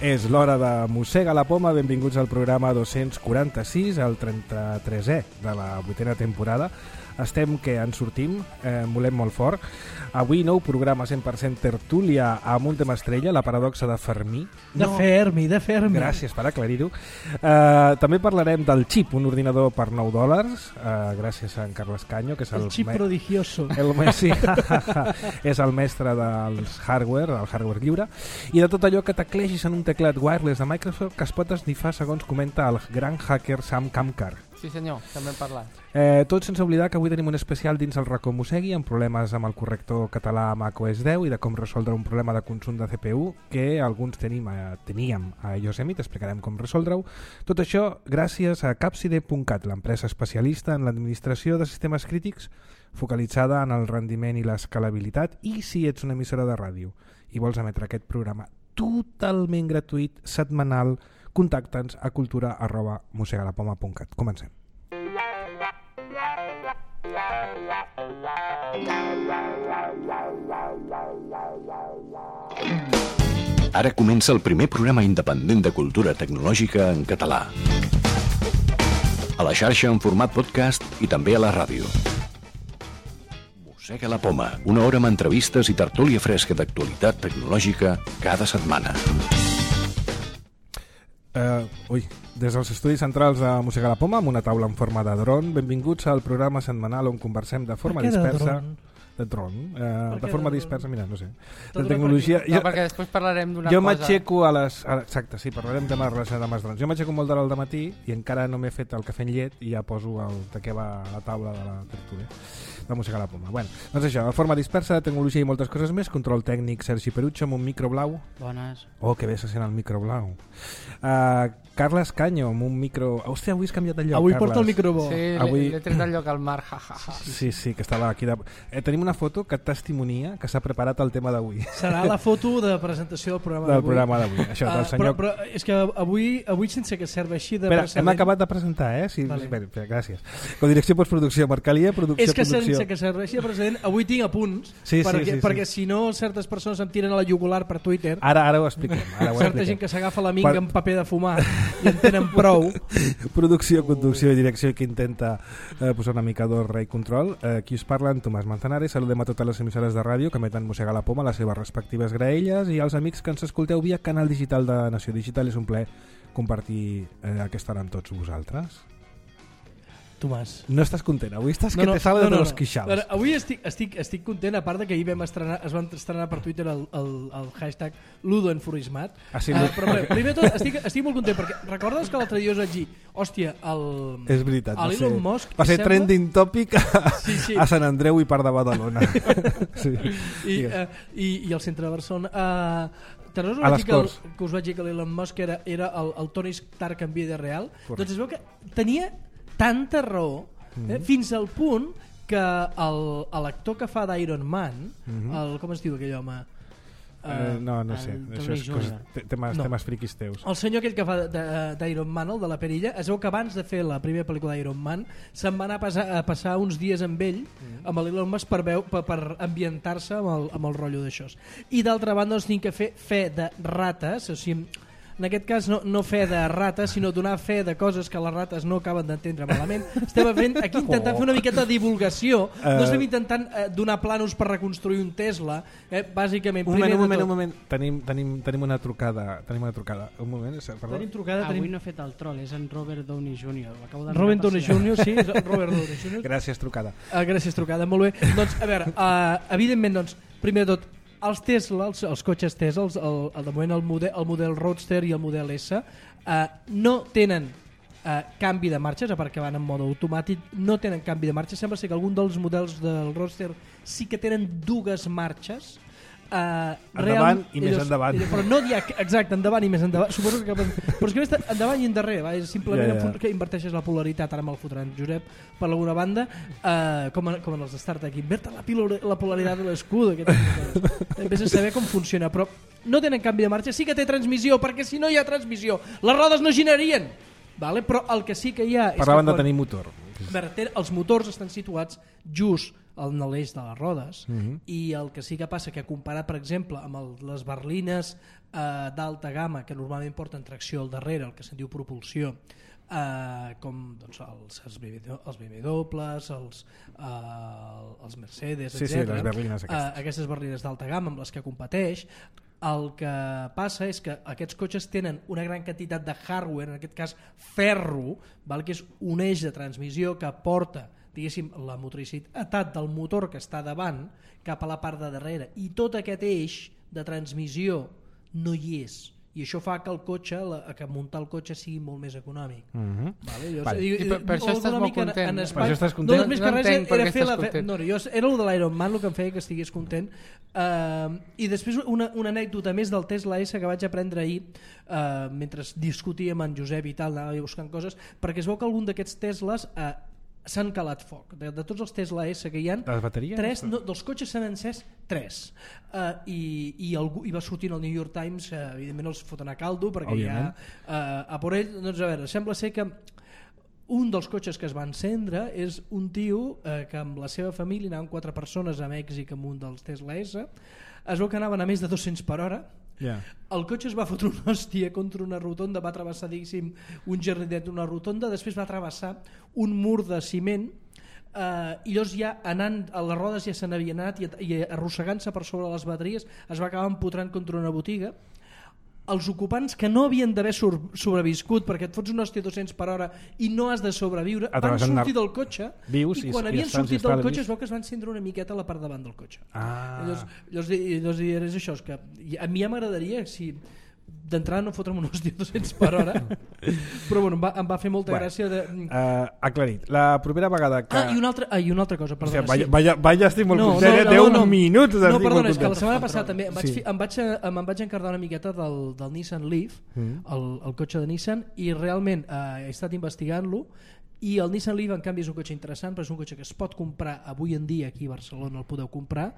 És l'hora de Mossega la Poma. Benvinguts al programa 246, el 33è de la 8a temporada. Estem que ens sortim, volem molt fort. Avui nou programa 100% tertúlia amb un tema estrella, la paradoxa de Fermi. De Fermi. Gràcies per aclarir-ho. També parlarem del xip, un ordinador per $9, gràcies a en Carles Caño, que és el xip prodigioso. Sí, és el mestre del hardware lliure, i de tot allò que teclegis en un teclat wireless de Microsoft que es pot esnifar, segons comenta el gran hacker Sam Kamkar. Sí senyor, també hem parlat. Tot sense oblidar que avui tenim un especial dins el racó Mossegui amb problemes amb el corrector català macOS 10 i de com resoldre un problema de consum de CPU que alguns teníem a Yosemite. Explicarem com resoldre-ho. Tot això gràcies a Capside.cat, l'empresa especialista en l'administració de sistemes crítics focalitzada en el rendiment i l'escalabilitat. I si ets una emissora de ràdio i vols emetre aquest programa totalment gratuït, setmanal, contacta'ns a cultura@mossegalapoma.cat. Comencem. Ara comença el primer programa independent de cultura tecnològica en català. A la xarxa en format podcast i també a la ràdio. Mossega la Poma, una hora amb entrevistes i tertúlia fresca d'actualitat tecnològica cada setmana. Des dels estudis centrals de Mossega la Poma, amb una taula en forma de dron, benvinguts al programa setmanal on conversem de forma dispersa. De forma dispersa, mira, no sé. De tecnologia. Perquè després parlarem d'una cosa. Jo m'aixeco a les... Exacte, sí, parlarem de relacionat amb els drons. Jo m'aixeco molt d'hora al dematí i encara no m'he fet el cafè amb llet i ja poso de què va la taula de la tertúlia de Mossega la Poma. Bueno, doncs això, de forma dispersa, de tecnologia i moltes coses més. Control tècnic, Sergi Perucho, amb un micro blau. Bones. Oh, que bé se sent el micro blau. Carles Caño, amb un micro... Hòstia, avui has canviat de lloc, avui Carles. Porta el micro bo. Sí, avui... l'he tret del lloc al mar, jajaja. Sí, que estava aquí. Tenim una foto que testimonia que s'ha preparat el tema d'avui. Serà la foto de presentació del programa d'avui. Això, del senyor... però és que avui sense que serveixi de precedent... Hem acabat de presentar, sí, vale. Bé, gràcies. Codirecció postproducció, Marcalia, producció, és que producció. Sense que serveixi de precedent, avui tinc apunts, sí, perquè si no certes persones em tiren a la jugular per Twitter. Ara ho expliquem. Certa gent que s'agafa la minga amb paper de fumar i en tenen prou. Producció, conducció i direcció que intenta posar una mica d'ordre i control. Qui us parla, en Tomàs Manzanares. Saludem a totes les emissores de ràdio que emeten Mossega la Poma, les seves respectives graelles, i als amics que ens escolteu via canal digital de Nació Digital. És un plaer compartir aquesta hora amb tots vosaltres. Tomàs, no estàs content? Avui estàs que te sale de los quixals. Avui estic content, a part de que ahir es van estrenar per Twitter el hashtag Ludoenfurismat. Sí, però primer de tot estic molt content perquè recordes que l'altre dia us vaig dir hòstia, és veritat, Elon Musk va ser trending topic a Sant Andreu i part de Badalona. I al centre de Barcelona. Te'n recordes que us vaig dir que l'Elon Musk era el Tony Stark en vida real? Correcte. Doncs es veu que tenia tanta raó, fins al punt que l'actor que fa d'Iron Man, com es diu aquell home? No sé, això és temes friquis teus. El senyor aquell que fa d'Iron Man, el de la perilla, es veu que abans de fer la primera pel·lícula d'Iron Man se'n va anar a passar uns dies amb ell, amb l'Elon Musk, per ambientar-se amb el rotllo d'això. I d'altra banda doncs tinc que fer fe de rates, o sigui, en aquest cas no fe de rates, sinó donar fe de coses que les rates no acaben d'entendre malament. Estem aquí intentant fer una miqueta de divulgació, no estem intentant donar planos per reconstruir un Tesla, bàsicament. Un moment. Tenim una trucada. Un moment, perdó. Avui no he fet el troll, és en Robert Downey Jr. Robert Downey Jr., sí, Robert Downey Jr. Gràcies, trucada. Gràcies, trucada, molt bé. Doncs, a veure, evidentment, primer de tot, els Tesla, els cotxes Tesla, de moment el model Roadster i el model S, no tenen canvi de marxes, a part que van en mode automàtic, no tenen canvi de marxes. Sembla ser que algun dels models del Roadster sí que tenen dues marxes, endavant i més endavant, però no dir exacte, endavant i més endavant, suposo que però és que està endavant i endarrere, és simplement que inverteixes la polaritat. Ara me'l fotran Josep per alguna banda, com en els de Star Trek, inverte la polaritat de l'escut, vés a saber com funciona. Però no tenen canvi de marxa, sí que té transmissió, perquè si no hi ha transmissió les rodes no girarien, vale? Però el que sí que hi ha parlaven de tenir motor. Els motors estan situats just en l'eix de les rodes, i el que sí que passa que comparat, per exemple, amb les berlines d'alta gamma, que normalment porten tracció al darrere, el que se'n diu propulsió, com doncs, els BMWs, els Mercedes, etc. Les berlines aquestes berlines d'alta gamma amb les que competeix, el que passa és que aquests cotxes tenen una gran quantitat de hardware, en aquest cas ferro, que és un eix de transmissió que porta, diguéssim, la motoricitat del motor que està davant cap a la part de darrere, i tot aquest eix de transmissió no hi és, i això fa que el cotxe, que muntar el cotxe sigui molt més econòmic. Per això estàs molt content. Per això estàs content? No, més que res era fer la... No, era el de l'Ironman el que em feia que estigués content. I després una anècdota més del Tesla S que vaig aprendre ahir, mentre discutíem amb en Josep i tal, anava buscant coses, perquè es veu que algun d'aquests Teslas s'han calat foc. De tots els Tesla S que hi ha, les bateries? Dels cotxes s'han encès 3. I va sortir al New York Times, evidentment els foten a caldo, perquè òbviament. a por ell, doncs a veure, sembla ser que un dels cotxes que es va encendre és un tio que amb la seva família anaven 4 persones a Mèxic amb un dels Tesla S, es veu que anaven a més de 200 per hora. El cotxe es va fotre una hòstia contra una rotonda, va travessar un jardinet d'una rotonda, després va travessar un mur de ciment, i llavors ja anant a les rodes ja se n'havia anat, i arrossegant-se per sobre les bateries es va acabar empotrant contra una botiga. Els ocupants que no havien d'haver sobreviscut, perquè et fots una hòstia 200 per hora i no has de sobreviure, van sortir del cotxe, i quan havien sortit del cotxe es veu que es van encendre una miqueta a la part davant del cotxe. Llavors és això, és que a mi ja m'agradaria, si d'entrada no fotre'm una hòstia 200 per hora, però bueno, em va fer molta gràcia aclarit. La primera vegada que... I una altra cosa, perdona. Vaya, estic molt content, 10 minuts. No, perdona, és que la setmana passada també em vaig encardar una miqueta del Nissan Leaf, el cotxe de Nissan, i realment he estat investigant-lo, i el Nissan Leaf en canvi és un cotxe interessant, però és un cotxe que es pot comprar avui en dia aquí a Barcelona, el podeu comprar,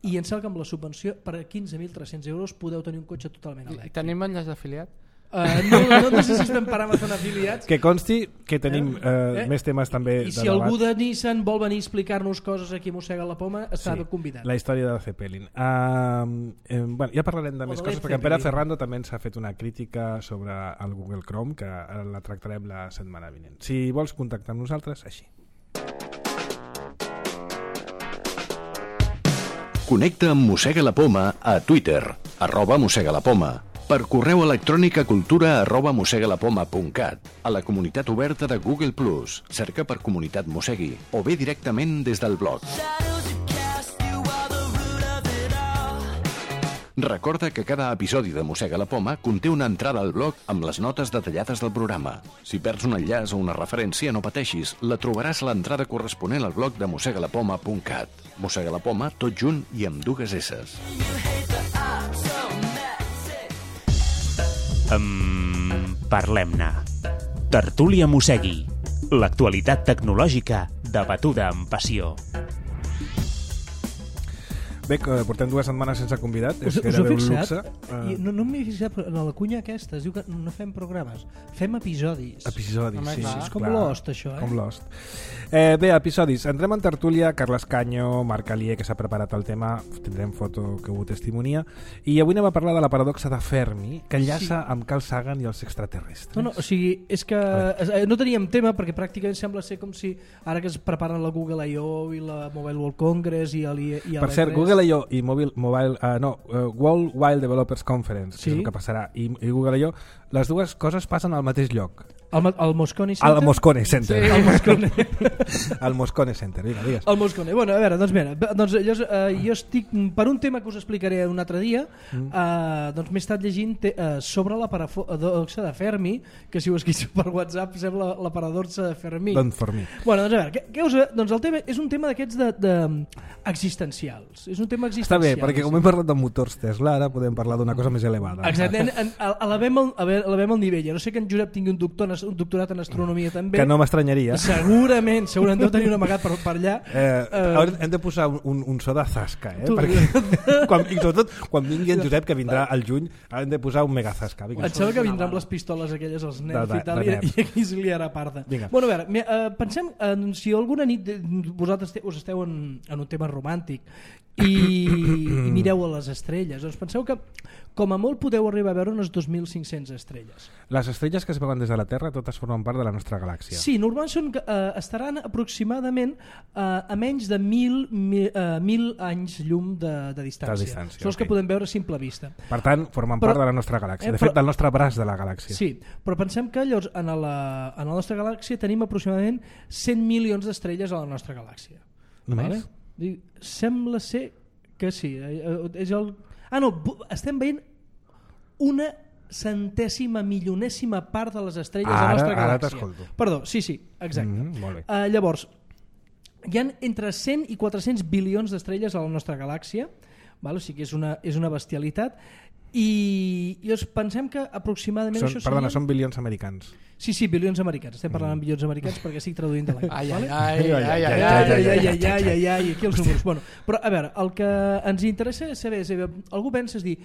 i em sembla que amb la subvenció per 15.300 euros podeu tenir un cotxe totalment elèctric. Tenim enllaç d'afiliat? No sé si estem per Amazon afiliats. Que consti que tenim més temes també i si algú de Nissan vol venir a explicar-nos coses aquí a Mossega la Poma, està convidat. La història del Zeppelin. Ja parlarem de més coses, perquè en Pere Ferrando també ens ha fet una crítica sobre el Google Chrome, que la tractarem la setmana vinent. Si vols contactar amb nosaltres, així. Connecta amb Mossega la Poma a Twitter, @mossegalapoma, per correu electrònic a cultura@mossegalapoma.cat, a la comunitat oberta de Google+, cerca per Comunitat Mossegui, o bé directament des del blog. Recorda que cada episodi de Mossega la Poma conté una entrada al blog amb les notes detallades del programa. Si perds un enllaç o una referència, no pateixis, la trobaràs a l'entrada corresponent al blog de mossegalapoma.cat. Mossega la Poma, tot junt i amb 2 esses. Parlem-ne. Tertúlia Mossegui. L'actualitat tecnològica debatuda amb passió. Bé, portem 2 setmanes sense convidat. Us heu fixat? No m'he fixat, però en la cunya aquesta es diu que no fem programes, fem episodis. Episodis, sí. És com Lost, això, Com Lost. Bé, episodis. Entrem en tertúlia. Carles Canyo, Marc Alier, que s'ha preparat el tema, tindrem foto que ho testimonia, i avui anem a parlar de la paradoxa de Fermi, que enllaça amb Carl Sagan i els extraterrestres. No, o sigui, és que no teníem tema, perquè pràcticament sembla ser com si ara que es preparen la Google I.O. i la Mobile World Congress i per cert, Google I.O. i World Wide Developers Conference, que és el que passarà, i Google I.O., les dues coses passen al mateix lloc. Al Moscone Center? Al Moscone Center. Sí, al Moscone. Al Moscone Center, digues. Al Moscone. Bueno, a veure, doncs mira, jo estic, per un tema que us explicaré un altre dia, doncs m'he estat llegint sobre la paradoxa de Fermi, que si ho escrius per WhatsApp sembla la paradoxa de Fermi. Doncs Fermi. Bueno, doncs a veure, doncs el tema és un tema d'aquests existencials. És un tema existencial. Està bé, perquè com hem parlat de motors Tesla, ara podem parlar d'una cosa més elevada. Exactament, elevem el nivell. A no sé que en Josep tingui un doctor en un doctorat en astronomia també. Que no m'estranyaria. Segurament deu tenir un amagat per allà. Hem de posar un so de zasca, perquè i sobretot quan vingui en Josep, que vindrà al juny, hem de posar un mega zasca. Em sembla que vindrà amb les pistoles aquelles, els nerfs i tal, i aquí es liarà parda. Bueno, a veure, pensem, si alguna nit vosaltres us esteu en un tema romàntic i mireu a les estrelles, doncs penseu que com a molt podeu arribar a veure unes 2.500 estrelles. Les estrelles que es veuen des de la Terra totes formen part de la nostra galàxia. Sí, normalment estaran aproximadament a menys de 1.000 anys llum de distància. Són els que podem veure a simple vista. Per tant, formen part de la nostra galàxia. De fet, del nostre braç de la galàxia. Sí, però pensem que llavors en la nostra galàxia tenim aproximadament 100 milions d'estrelles a la nostra galàxia. Només? Vale? Sembla ser que sí. Estem veient una centèsima milionèsima part de les estrelles de la nostra galàxia. Ara t'escolto. Perdó, sí, exacte. Molt bé. Llavors, hi ha entre 100 i 400 bilions d'estrelles a la nostra galàxia, o sigui que és una bestialitat, i pensem que aproximadament són bilions americans. Sí, bilions americans. Estem parlant en bilions americans perquè estic traduint de l'anglès. Ai, aquí els números. Però a veure, el que ens interessa és saber, algú pensa és dir,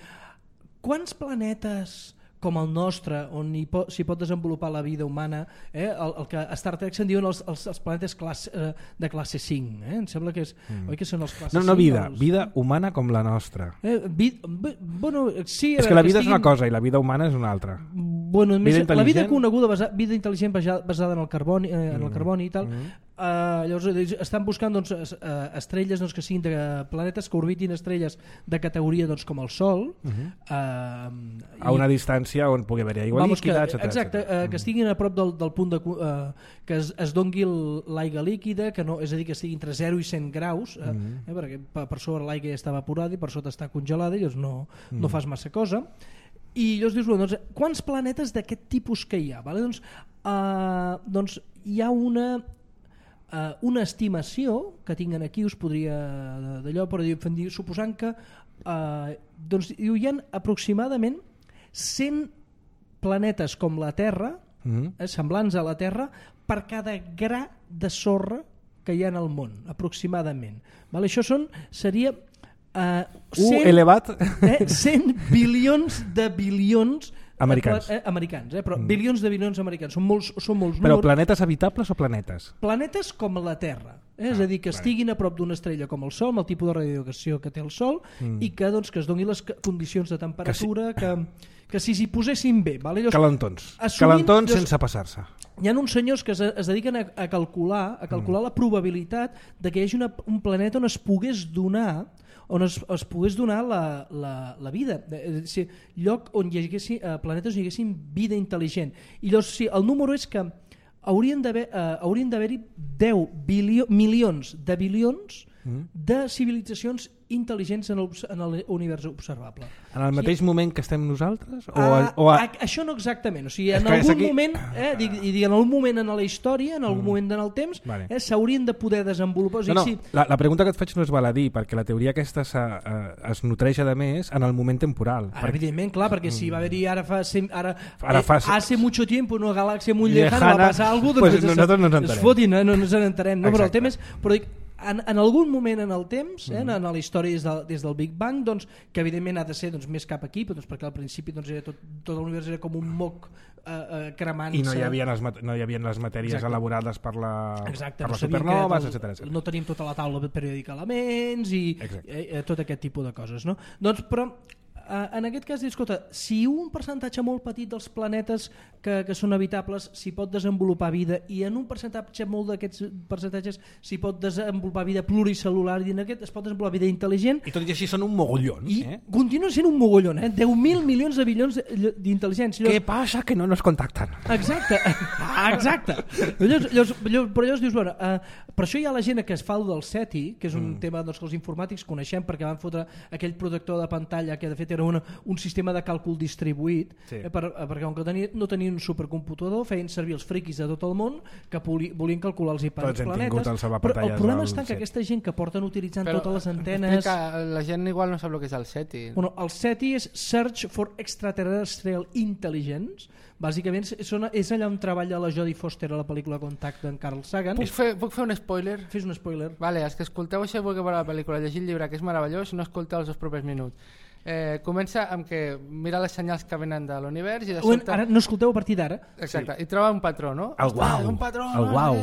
quants planetes com el nostre, on s'hi pot desenvolupar la vida humana, el que a Star Trek se'n diuen els planetes de classe 5, em sembla que és, oi que són els classe 5? No, vida humana com la nostra. Sí, és que la vida és una cosa i la vida humana és una altra. La vida coneguda, vida intel·ligent basada en el carboni i tal. Llavors estan buscant estrelles que siguin de planetes que orbitin estrelles de categoria com el Sol, a una distància on pugui haver aigua líquida, etc. Exacte, que estiguin a prop del punt que es dongui l'aigua líquida, és a dir, que estigui entre 0 i 100 graus, perquè per sobre l'aigua ja està evaporada i per sota està congelada, i no fas massa cosa. I llavors dius, quants planetes d'aquest tipus que hi ha? Doncs hi ha una estimació que tinguen aquí, us podria d'allò, però suposant que hi ha aproximadament 100 planetes com la Terra, semblants a la Terra, per cada gra de sorra que hi ha en el món, aproximadament. Això seria 100 bilions de bilions americans, però bilions de bilions americans, són molts números. Però planetes habitables o planetes? Planetes com la Terra, és a dir, que estiguin a prop d'una estrella com el Sol, amb el tipus de radiació que té el Sol, i que es donin les condicions de temperatura que si s'hi posessin bé. Calentons sense passar-se. Hi ha uns senyors que es dediquen a calcular la probabilitat de que hi hagi un planeta on es pogués donar la vida, lloc on hi haguessin planetes on hi haguessin vida intel·ligent. I llavors el número és que haurien d'haver-hi 10 milions de bilions de civilitzacions intel·ligents en l'univers observable. En el mateix moment que estem nosaltres? Això no exactament, o sigui, en algun moment, en algun moment en la història, en algun moment en el temps, s'haurien de poder desenvolupar. La pregunta que et faig no és baladí, perquè la teoria aquesta es nodreix de més en el moment temporal. Evidentment, clar, perquè si va haver-hi hace mucho tiempo una galàxia molt lejana va passar alguna cosa, nosaltres no ens entenem. Es fotin, no ens entenem. Però el tema és... En algun moment en el temps, en la història des del Big Bang, que evidentment ha de ser més cap aquí, perquè al principi tot l'univers era com un moc cremant-se. I no hi havia les matèries elaborades per les supernoves, etc. No tenim tota la taula periòdica d'elements i tot aquest tipus de coses. Però en aquest cas, escolta, si un percentatge molt petit dels planetes que són habitables s'hi pot desenvolupar vida, i en un percentatge molt d'aquests percentatges s'hi pot desenvolupar vida pluricel·lular, i en aquest es pot desenvolupar vida intel·ligent, i tot i així són un mogollon, continua sent un mogollon, 10.000 milions de bilions d'intel·ligència. Què passa? Que no nos contacten. Exacte. Però llavors dius, per això hi ha la gent que es fa el del SETI, que és un tema que els informàtics coneixem perquè van fotre aquell protector de pantalla que de fet era un sistema de càlcul distribuït, perquè com que no tenien un supercomputador, feien servir els friquis de tot el món que volien calcular els hiperplanetes. Però el problema està que aquesta gent que porten utilitzant totes les antenes... La gent igual no sap el que és el SETI. Bueno, el SETI és Search for Extraterrestrial Intelligence. Bàsicament és allà on treballa la Jodie Foster a la pel·lícula Contact d'en Carl Sagan. Puc fer un spoiler? Fes un spoiler. Vale, els que escolteu això i vulgueu veure la pel·lícula, llegir el llibre, que és meravellós, no escolteu els propers minuts. Comença amb que mira les senyals que venen de l'univers i de sobte... Ara no escolteu a partir d'ara. Exacte, i troba un patró, no? El guau. Un patró,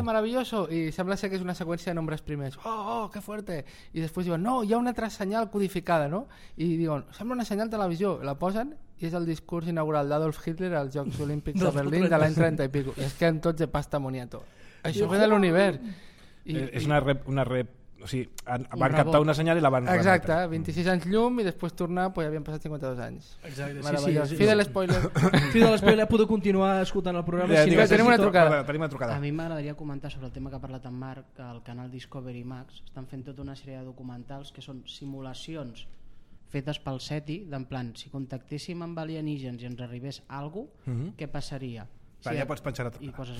meravelloso. I sembla ser que és una seqüència de nombres primers. Oh, que fuerte. I després diuen, no, hi ha una altra senyal codificada, no? I diuen, sembla una senyal de televisió. La posen i és el discurs inaugural d'Adolf Hitler als Jocs Olímpics de Berlín de l'any 30 i pico. I és que en tots de pasta moniato. Això ve de l'univers. És una rep... O sigui, van captar una senyal i la van remetre. Exacte, 26 anys llum i després tornar, ja havien passat 52 anys. Exacte, meravellós. Fi de l'espoiler. Fi de l'espoiler, podeu continuar escoltant el programa. Tenim una trucada. A mi m'agradaria comentar sobre el tema que ha parlat en Marc, que al canal Discovery Max estan fent tota una sèrie de documentals que són simulacions fetes pel SETI, d'en plan, si contactéssim amb alienígens i ens arribés alguna cosa, què passaria? Ja pots penjar a i poses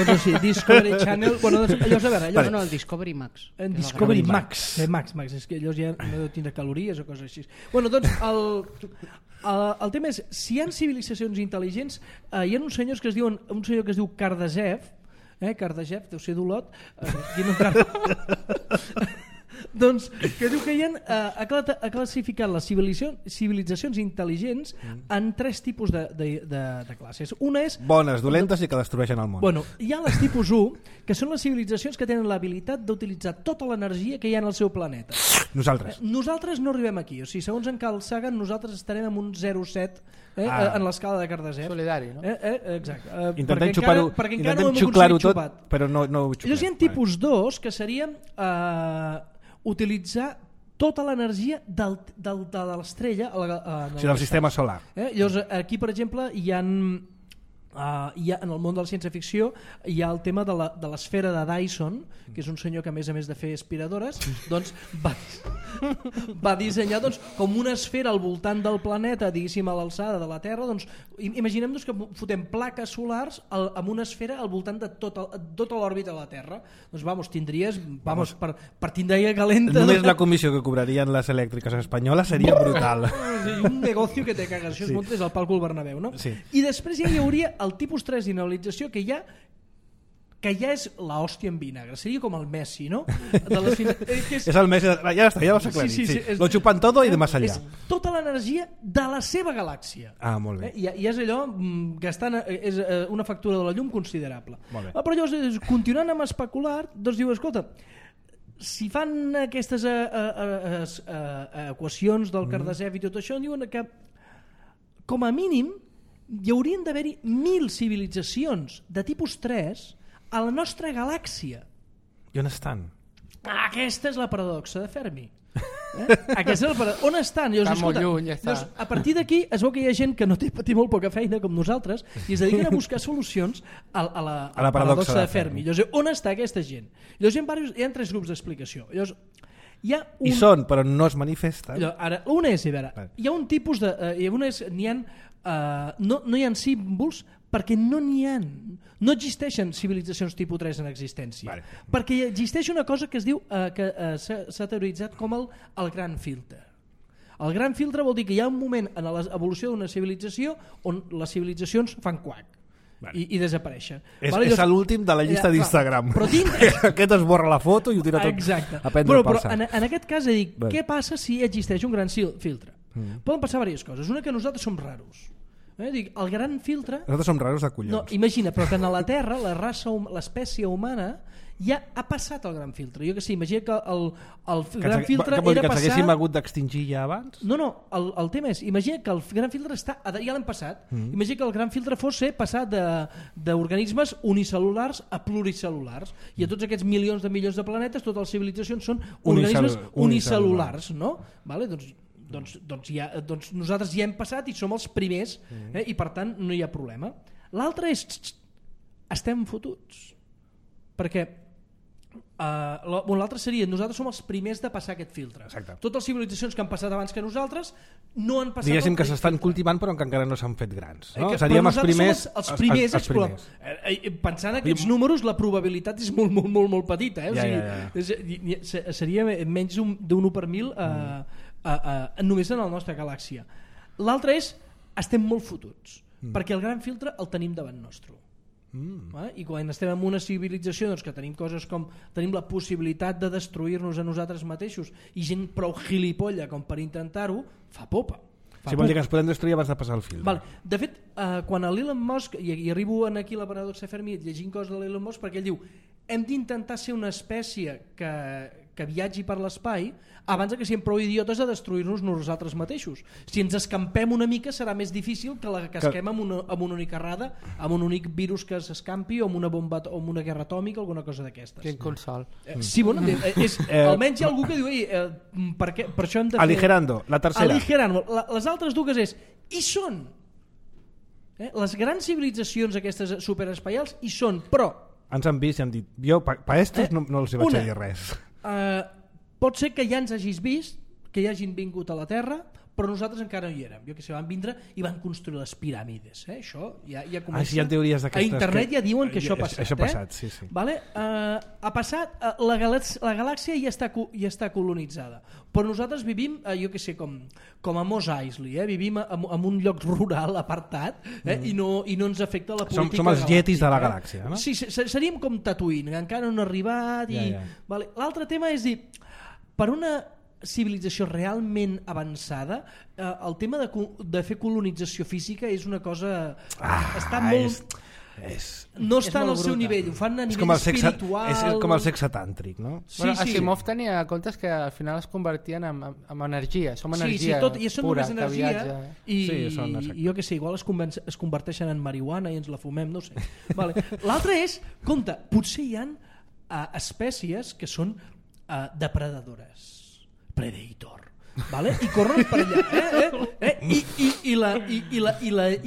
doncs sí, Discovery Channel, bueno, allò és a veure, no, el Discovery Max. Discovery Max, és que allò ja no deu tindre calories o coses així. Bueno, doncs el tema és, si hi ha civilitzacions intel·ligents, hi ha uns senyors que es diuen, un senyor que es diu Kardashev, Kardashev, deu ser d'Olot, doncs que diu que ha classificat les civilitzacions intel·ligents en 3 tipus de classes. Una és... bones, dolentes i que destrueixen el món. Bueno, hi ha les tipus 1, que són les civilitzacions que tenen l'habilitat d'utilitzar tota l'energia que hi ha en el seu planeta. Nosaltres no arribem aquí. O sigui, segons en Carl Sagan, nosaltres estarem en un 0,7 en l'escala de Kardashev. Solidari, no? Exacte. Intentem xupar-ho, intentem xuclar-ho tot, però no ho xuclem. Llavors hi ha tipus 2, que serien utilitzar tota l'energia de l'estrella del sistema solar. Llavors aquí, per exemple, hi ha en el món de la ciència-ficció hi ha el tema de l'esfera de Dyson, que és un senyor que a més de fer aspiradores doncs va dissenyar com una esfera al voltant del planeta, diguéssim a l'alçada de la Terra. Doncs imaginem-nos que fotem plaques solars amb una esfera al voltant de tota l'òrbita de la Terra. Doncs tindries per tindria calenta. Només la comissió que cobrarien les elèctriques espanyoles seria brutal. Un negoci que te cagues. Això es munta des del Palco al Bernabéu, no? Sí. I després ja hi hauria el tipus 3 d'inhabilitació, que ja és l'hòstia en vinagre, seria com el Messi, no? És el Messi, ja està, ja ho has aclarit. Sí. Lo chupan todo i de más allá. És tota l'energia de la seva galàxia. Molt bé. I és allò gastant és una factura de la llum considerable. Però llavors, continuant amb especular, doncs diu, escolta, si fan aquestes equacions del Kardashev i tot això, diuen que com a mínim hi haurien d'haver-hi 1.000 civilitzacions de tipus 3 a la nostra galàxia. I on estan? Aquesta és la paradoxa de Fermi. On estan? Està molt lluny, ja està. A partir d'aquí es veu que hi ha gent que no té molt poca feina com nosaltres i es dediquen a buscar solucions a la paradoxa de Fermi. Llavors, on està aquesta gent? Llavors, hi ha 3 grups d'explicació. Llavors, hi són, però no es manifesten. Ara, una és, hi ha un tipus de... no hi ha símbols perquè no n'hi ha. No existeixen civilitzacions tipus 3 en existència. Perquè existeix una cosa que es diu que s'ha teoritzat com el gran filtre. El gran filtre vol dir que hi ha un moment en l'evolució d'una civilització on les civilitzacions fan quac i desapareixen. És l'últim de la llista d'Instagram. Aquest esborra la foto i ho tira tot a prendre per sac. Però en aquest cas dic, què passa si existeix un gran filtre? Poden passar diverses coses. Una, que nosaltres som raros. El gran filtre... Nosaltres som raros de collons. No, imagina, però que a la Terra l'espècie humana ja ha passat el gran filtre. Jo que sé, imagina que el gran filtre era passar... Que ens haguéssim hagut d'extingir ja abans? No, el tema és, imagina que el gran filtre ja l'hem passat. Imagina que el gran filtre fos passar d'organismes unicel·lulars a pluricel·lulars. I a tots aquests milions de planetes, totes les civilitzacions són organismes unicel·lulars, no? Doncs nosaltres ja hem passat i som els primers, i per tant no hi ha problema. L'altre és estem fotuts, perquè L'altre seria, nosaltres som els primers de passar aquest filtre. Exacte. Totes les civilitzacions que han passat abans que nosaltres no han passat. Diguéssim que s'estan cultivant però que encara no s'han fet grans, no? Seríem els primers, els primers. Pensant aquests números, la probabilitat és molt petita, seria menys d'un 1 per 1.000 només en la nostra galàxia. L'altre és, estem molt fotuts, perquè el gran filtre el tenim davant nostre. I quan estem en una civilització que tenim coses com tenim la possibilitat de destruir-nos a nosaltres mateixos i gent prou gilipolla com per intentar-ho, fa popa. Vol dir que ens podem destruir abans de passar el filtre. De fet, quan l'Elon Musk, i arribo aquí a la paradoxa Fermi llegint coses de l'Elon Musk, perquè ell diu hem d'intentar ser una espècie que viatgi per l'espai abans que siguem prou idiotes de destruir-nos nosaltres mateixos. Si ens escampem una mica serà més difícil que la casquem amb una única errada, amb un únic virus que s'escampi o amb una bomba o amb una guerra atòmica o alguna cosa d'aquestes. Quin consol. Sí, bueno, almenys hi ha algú que diu per això hem de fer... Aligerando, la tercera. Aligerando. Les altres dues és, hi són. Les grans civilitzacions aquestes superespaials hi són, però... Ens han vist i han dit, jo per estos no els vaig dir res. Pot ser que ja ens hagis vist, que ja hagin vingut a la Terra, però nosaltres encara no hi érem. Jo que sé, van vindre i van construir les piràmides. Això ja comença. Sí, hi ha teories d'aquestes. A internet ja diuen que això ha passat. Això ha passat, sí. Vale? Ha passat, la galàxia ja està colonitzada, però nosaltres vivim, jo que sé, com a Mos Eisley, vivim en un lloc rural apartat i no ens afecta la política galàctica. Som els yetis de la galàxia, no? Sí, seríem com Tatooine, que encara no han arribat. Vale. L'altre tema és dir, per una civilització realment avançada, el tema de fer colonització física és una cosa... està molt... no està en el seu nivell, ho fan a nivell espiritual. És com el sexe tàntric, no? Asimov tenia comptes que al final es convertien en energia, som energia i són pura, només energia, que i jo que sé, igual es converteixen en marihuana i ens la fumem, no sé. L'altre és, compte, potser hi ha espècies que són depredadores, predator, i corren per allà, i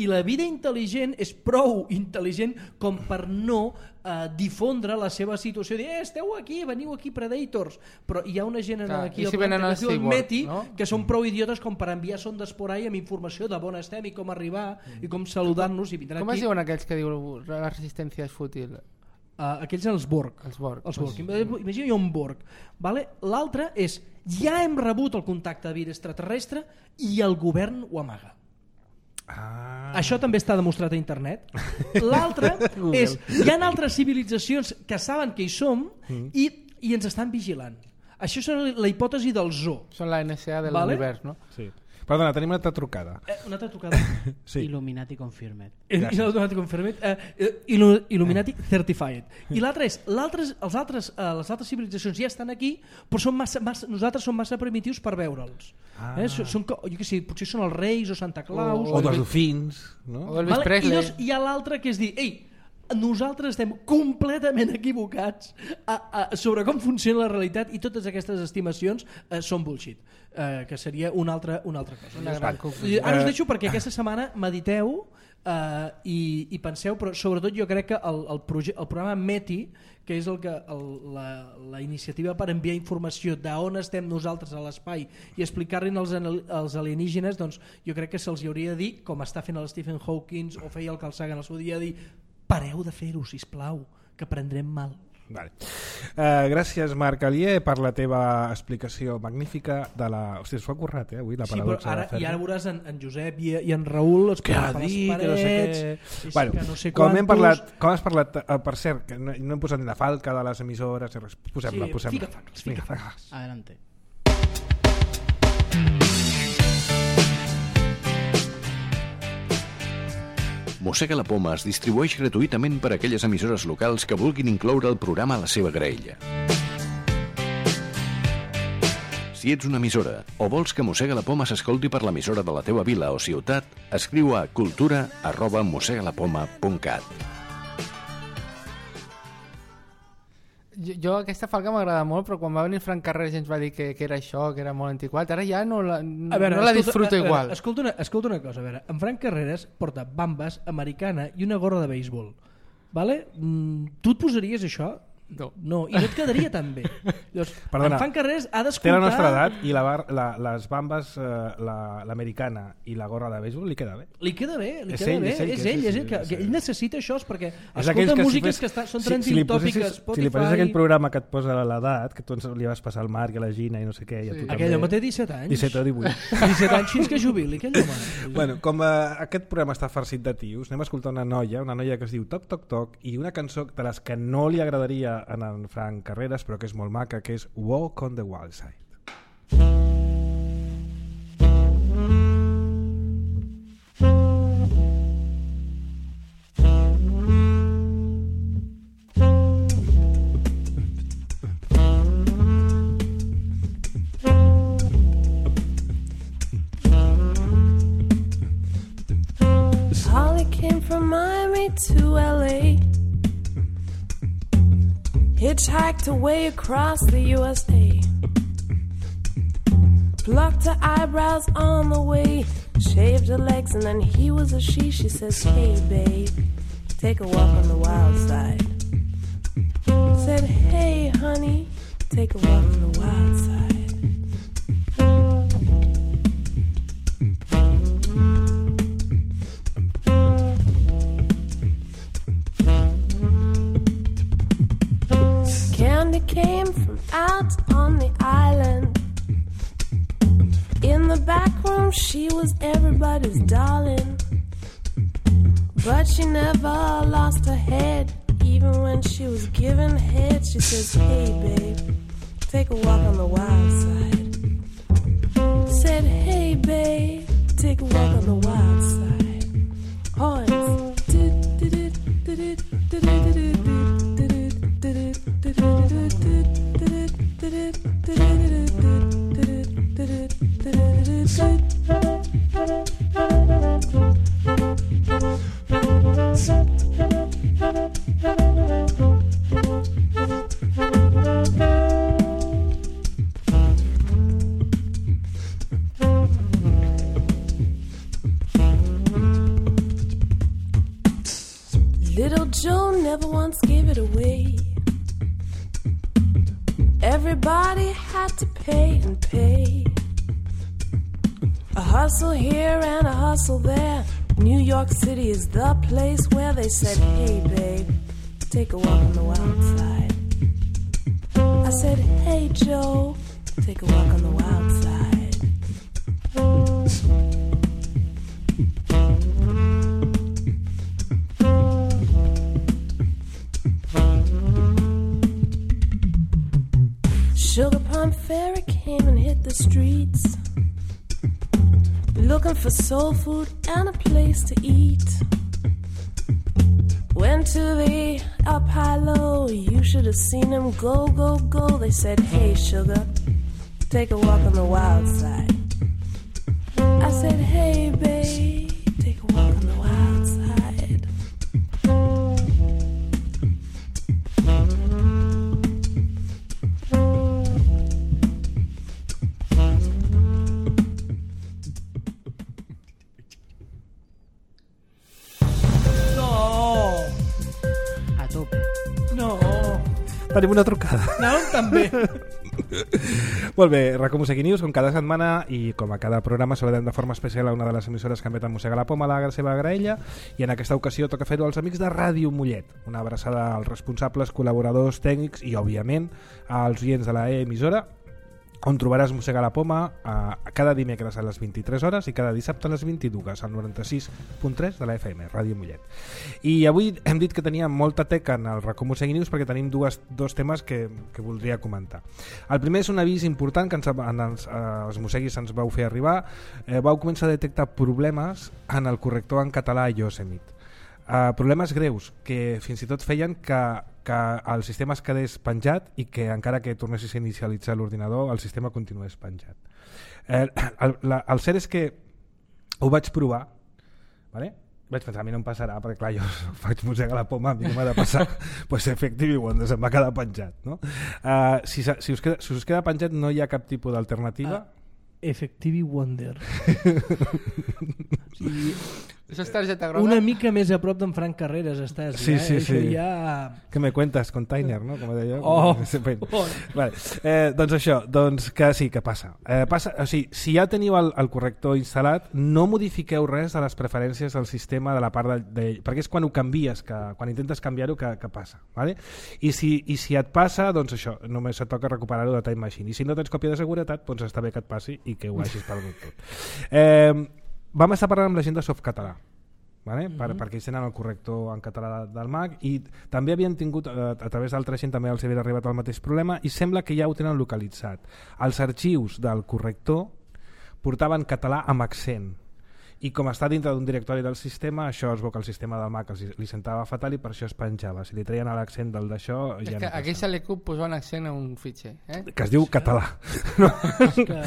la vida intel·ligent és prou intel·ligent com per no difondre la seva situació, dir esteu aquí, veniu aquí predators, però hi ha una gent aquí al planeta que es diu el Meti, que són prou idiotes com per enviar sondes por ahí amb informació de on estem i com arribar i com saludar-nos i vindran aquí. Com es diuen aquells que diuen la resistència és fútil? Aquells són els Borg. Imagina un Borg. L'altre és, ja hem rebut el contacte de vida extraterrestre i el govern ho amaga. Això també està demostrat a internet. L'altre és, hi ha altres civilitzacions que saben que hi som i ens estan vigilant. Això és la hipòtesi del zoo. Són la NSA de l'univers, no? Sí. Perdona, tenim una altra trucada. Una altra trucada? Sí. Illuminati confirmed. Illuminati confirmed. Illuminati certified. I l'altre és, les altres civilitzacions ja estan aquí, però nosaltres som massa primitius per veure'ls. Jo què sé, potser són els Reis o Santa Claus. O els dofins. O Elvis Presley. I hi ha l'altre que és dir, nosaltres estem completament equivocats sobre com funciona la realitat i totes aquestes estimacions són bullshit, que seria una altra cosa. Ara us deixo perquè aquesta setmana mediteu i penseu, però sobretot jo crec que el programa METI, que és la iniciativa per enviar informació d'on estem nosaltres a l'espai i explicar-li als alienígenes, doncs jo crec que se'ls hauria de dir, com està fent el Stephen Hawking o feia el Carl Sagan al seu dia, dir pareu de fer-ho, sisplau, que prendrem mal. Vale. Gràcies, Marc Alier, per la teva explicació magnífica de la... Hòstia, s'ho ha currat, avui, la paradoxa. Sí, i ara veuràs en Josep i en Raül els per les parets, no sé com has parlat, per cert, que no hem posat ni la falca de les emissores, posem-la. Fica falques. Adelante. Mossega la Poma es distribueix gratuïtament per a aquelles emissores locals que vulguin incloure el programa a la seva graella. Si ets una emissora o vols que Mossega la Poma s'escolti per l'emissora de la teva vila o ciutat, escriu a cultura@mossegalapoma.cat. Jo aquesta falca m'agrada molt, però quan va venir Frank Carreras i ens va dir que era això, que era molt antiquat, ara ja no la disfruto igual. Escolta una cosa, a veure, en Frank Carreras porta bambes, americana i una gorra de béisbol. Vale? Tu et posaries això? No, i no et quedaria tan bé. Llavors, Perdona, en Fan Carreras ha té d'escoltar... la nostra edat i les bambes, l'americana i la gorra de béisbol li queda bé. Li queda bé, És ell, que ell necessita això perquè És aquells escolta que músiques que són trending tòpiques, Spotify... Si li posés aquell programa que et posa l'edat, que tu li vas passar al Marc i a la Gina i no sé què, i a tu Aquell home té 17 anys. 17 o 18. 17 anys fins que jubili, aquell home. Bueno, com aquest programa està farcit de tios, anem a escoltar una noia que es diu Toc Toc Toc, i una cançó de les que no li agradaria a en Frank Carreras, però que és molt maca, que és Walk on the Wild Side. Holly came from Miami to LA, hitchhiked away across the USA, plucked her eyebrows on the way, shaved her legs, and then he was a she. She says, hey babe, take a walk on the wild side. Said, hey honey, take a walk on the wild side. Candy came from out on the island. In the back room she was everybody's darling, but she never lost her head. Even when she was giving head, she says, hey babe, take a walk on the wild side. Said, hey babe, take a walk on the wild side. Horns. Little Joe never once gave it away. Everybody had to pay and pay. A hustle here and a hustle there. New York City is the place where they said, hey babe, take a walk on the wild side. I said, hey Joe, take a walk on the wild side. Sugar Plum Fairy came and hit the streets, looking for soul food and a place to eat. Went to the up high low, you should have seen them go, go, go. They said, hey sugar, take a walk on the wild side. I said, hey babe, take a walk on the wild side. Tenim una trucada. Anàvem també. Molt bé, Racó Musegui News, com cada setmana i com a cada programa saludem de forma especial a una de les emissores que emeten Mossega la Poma, la seva graella, i en aquesta ocasió toca fer-ho als amics de Ràdio Mollet. Una abraçada als responsables, col·laboradors, tècnics i, òbviament, als oients de la emissora, on trobaràs Mossega la Poma cada dimecres a les 23 hores i cada dissabte a les 22 al 96.3 de la FM, Ràdio Mollet. I avui hem dit que teníem molta teca en el Racó Musegui News perquè tenim dos temes que voldria comentar. El primer és un avís important que els Musseguis ens vau fer arribar. Vau començar a detectar problemes en el corrector en català Yosemite. Problemes greus que fins i tot feien que el sistema es quedés penjat i que encara que tornessis a inicialitzar l'ordinador el sistema continués penjat. El cert és que ho vaig provar, vale? Vaig pensar, a mi no em passarà perquè clar, jo faig Mossega la Poma, a mi no m'ha de passar pues Effective Wonder se'm va quedar penjat, no? Si us queda penjat no hi ha cap tipus d'alternativa. Effective Wonder. Sí. Això és targeta groga? Una mica més a prop d'en Frank Carreras estàs. Sí, sí, Això sí. ja... Que me cuentas, container, no? Com deia. Oh. Vale. Doncs això, doncs que sí, que passa. O sigui, si ja teniu el corrector instal·lat, no modifiqueu res de les preferències del sistema de la part perquè és quan ho canvies, quan intentes canviar-ho que passa. Vale? I si et passa, doncs això, només et toca recuperar-ho de Time Machine. I si no tens còpia de seguretat, doncs està bé que et passi i que ho hagis perdut tot. Vam estar parlant amb la gent de Softcatalà, vale? Perquè ells tenen el corrector en català del Mac i també havien tingut, a través d'altra gent també els havia arribat el mateix problema i sembla que ja ho tenen localitzat. Els arxius del corrector portaven català amb accent i com està dintre d'un directori del sistema, això es veu que el sistema del Mac li sentava fatal i per això es penjava. Si li treien l'accent del d'això és ja que no aquí passa. se li cup posar un accent a un fitxer, que es diu català. Que...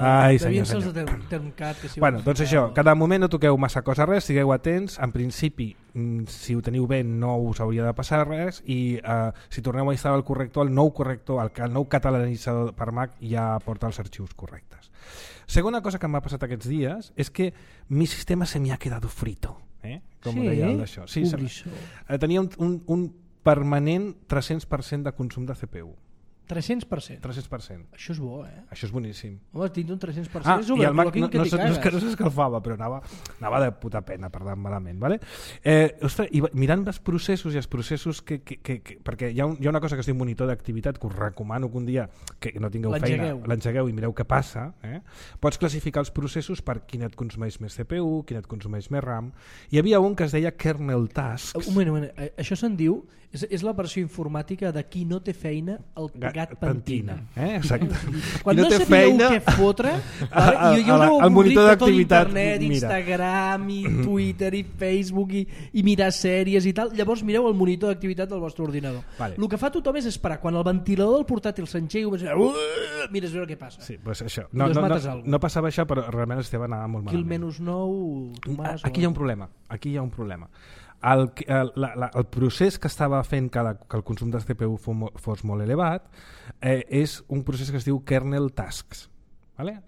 Ai, devien senyor, ser els de Termcat. Que si Bueno, doncs això, cada moment no toqueu massa cosa res, sigueu atents, en principi si ho teniu bé no us hauria de passar res i si torneu a instal·lar el corrector, el nou catalanitzador per Mac ja porta els arxius correctes. Segona cosa que m'ha passat aquests dies és que mi sistema se me ha quedado frito, com ho deia el d'això. Sí, tenia un permanent 300% de consum de CPU. 300%. 300%. Això és bo, Això és boníssim. Home, tinc un 300%. Ah, és i el Mac overclocking no que és que no s'escalfava, però anava de puta pena, perdó, malament. Vale? Ostres, i mirant els processos i els processos perquè hi ha una cosa que es diu monitor d'activitat que us recomano que un dia que no tingueu feina, l'engegueu i mireu què passa. Pots classificar els processos per quin et consumeix més CPU, quin et consumeix més RAM. Hi havia un que es deia kernel tasks. Un moment, això se'n diu, és la versió informàtica de qui no té feina el gat pentina. Exacte. Quan no sabíeu què fotre, i jo el monitor d'activitat, internet, Instagram i Twitter i Facebook i mirar sèries i tal, llavors mireu el monitor d'activitat del vostre ordinador. Vale. El que fa tothom és esperar quan el ventilador del portàtil s'engega mires a veure què passa. Sí, pues això. No passava això, però realment Esteve anava molt malament. Aquí el -9, Tomàs... Aquí hi ha un problema. El procés que estava fent que el consum de CPU fos molt elevat és un procés que es diu kernel tasks, ¿vale?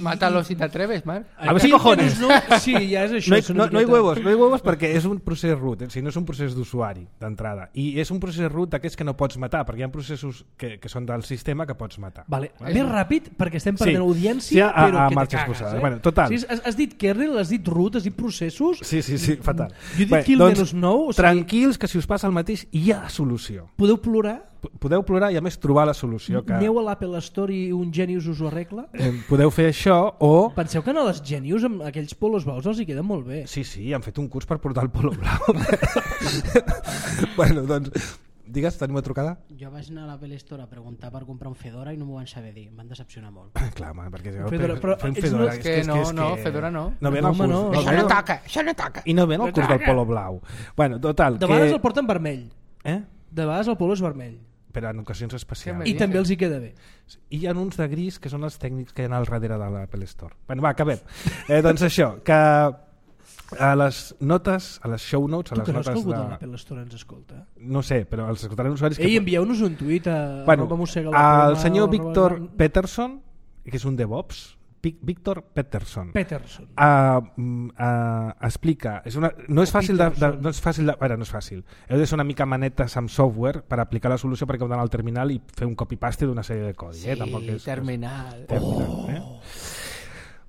Mátalo si t'atreves, Marc. A ver si cojones. Sí, ja és això. No hay huevos perquè és un procés root, si no és un procés d'usuari d'entrada, i és un procés root d'aquests que no pots matar, perquè hi ha processos que són del sistema que pots matar. Vale. Més ràpid, perquè estem perdent audiència, però que te cagues. Bueno, total. Sí, has dit kernel, has dit root, has dit processos... Sí, fatal. Jo he dit kill -9... Tranquils, que si us passa el mateix hi ha solució. Podeu plorar i a més trobar la solució. Aneu a l'Apple Store i un Genius us ho arregla? Podeu fer això o... Penseu que a les Genius amb aquells polos blaus els hi queden molt bé. Sí, han fet un curs per portar el polo blau. Bueno, doncs, digues, tenim una trucada? Jo vaig anar a l'Apple Store a preguntar per comprar un Fedora i no m'ho van saber dir, em van decepcionar molt. Clar, home, perquè fer un Fedora... Fedora no. No ven el curs. Això no toca. I no ven el curs del polo blau. Bueno, total, de vegades el porten vermell. De vegades el polo és vermell. Però en ocasions especials. I també els hi queda bé. I hi ha uns de gris que són els tècnics que hi ha al darrere de l'Apple Store. Bueno, va, acabem. Doncs això, que a les notes, a les show notes... Tu creus que algú de l'Apple Store ens escolta? No sé, però els escoltaran usuaris... Ei, envieu-nos un tuit a... el senyor Víctor Peterson, que és un DevOps, Víctor Peterson explica, no és fàcil no és fàcil, heu de ser una mica manetes amb software per aplicar la solució perquè heu d'anar al terminal i fer un copy-paste d'una sèrie de codi. Tampoc és terminal.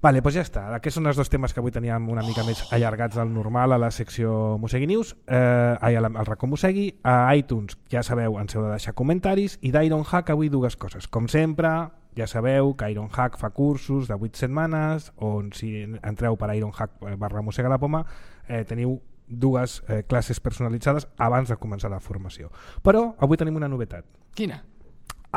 Vale, doncs ja està. Aquests són els dos temes que avui teníem una mica més allargats del normal a la secció Mosegui News, al racó Mosegui. A iTunes, ja sabeu, ens heu de deixar comentaris, i d'Ironhack avui dues coses. Com sempre, ja sabeu que Ironhack fa cursos de 8 setmanes, on si entreu per ironhack/mosegalapoma teniu dues classes personalitzades abans de començar la formació. Però avui tenim una novetat. Quina?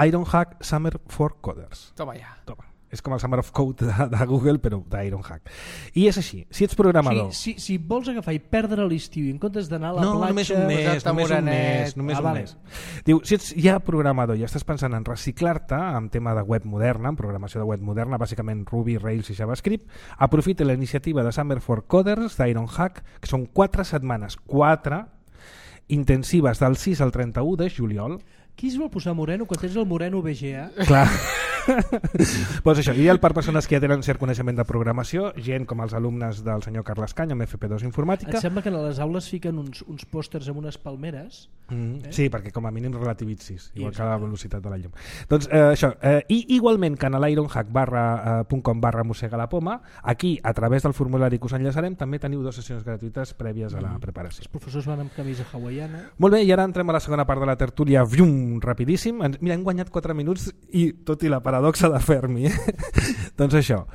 Ironhack Summer for Coders. Toma ja. Toma. És com el Summer of Code de Google, però d'Ironhack. I és així, si ets programador... Si vols agafar i perdre l'estiu en comptes d'anar a la platja... Només un mes. Diu, si ets ja programador i estàs pensant en reciclar-te en tema de web moderna, en programació de web moderna, bàsicament Ruby, Rails i JavaScript, aprofita la iniciativa de Summer for Coders d'Ironhack, que són 4 setmanes, 4 intensives del 6 al 31 de juliol. Qui es vol posar moreno quan tens el moreno BGA? Clar. Pues això, ideal per persones que ja tenen cert coneixement de programació, gent com els alumnes del senyor Carles Cany amb FP2 Informàtica. Et sembla que a les aules fiquen uns pòsters amb unes palmeres? Sí, perquè com a mínim relativitzis, igual que la velocitat de la llum. Doncs això, i igualment que en l'ironhack.com/mossega la poma, aquí, a través del formulari que us enllaçarem, també teniu 2 sessions gratuïtes prèvies a la preparació. Els professors van amb camisa hawaiana. Molt bé, i ara entrem a la segona part de la tertúlia, rapidíssim. Mira, hem guanyat 4 minuts i tot i la paradoxa de Fermi. Doncs això,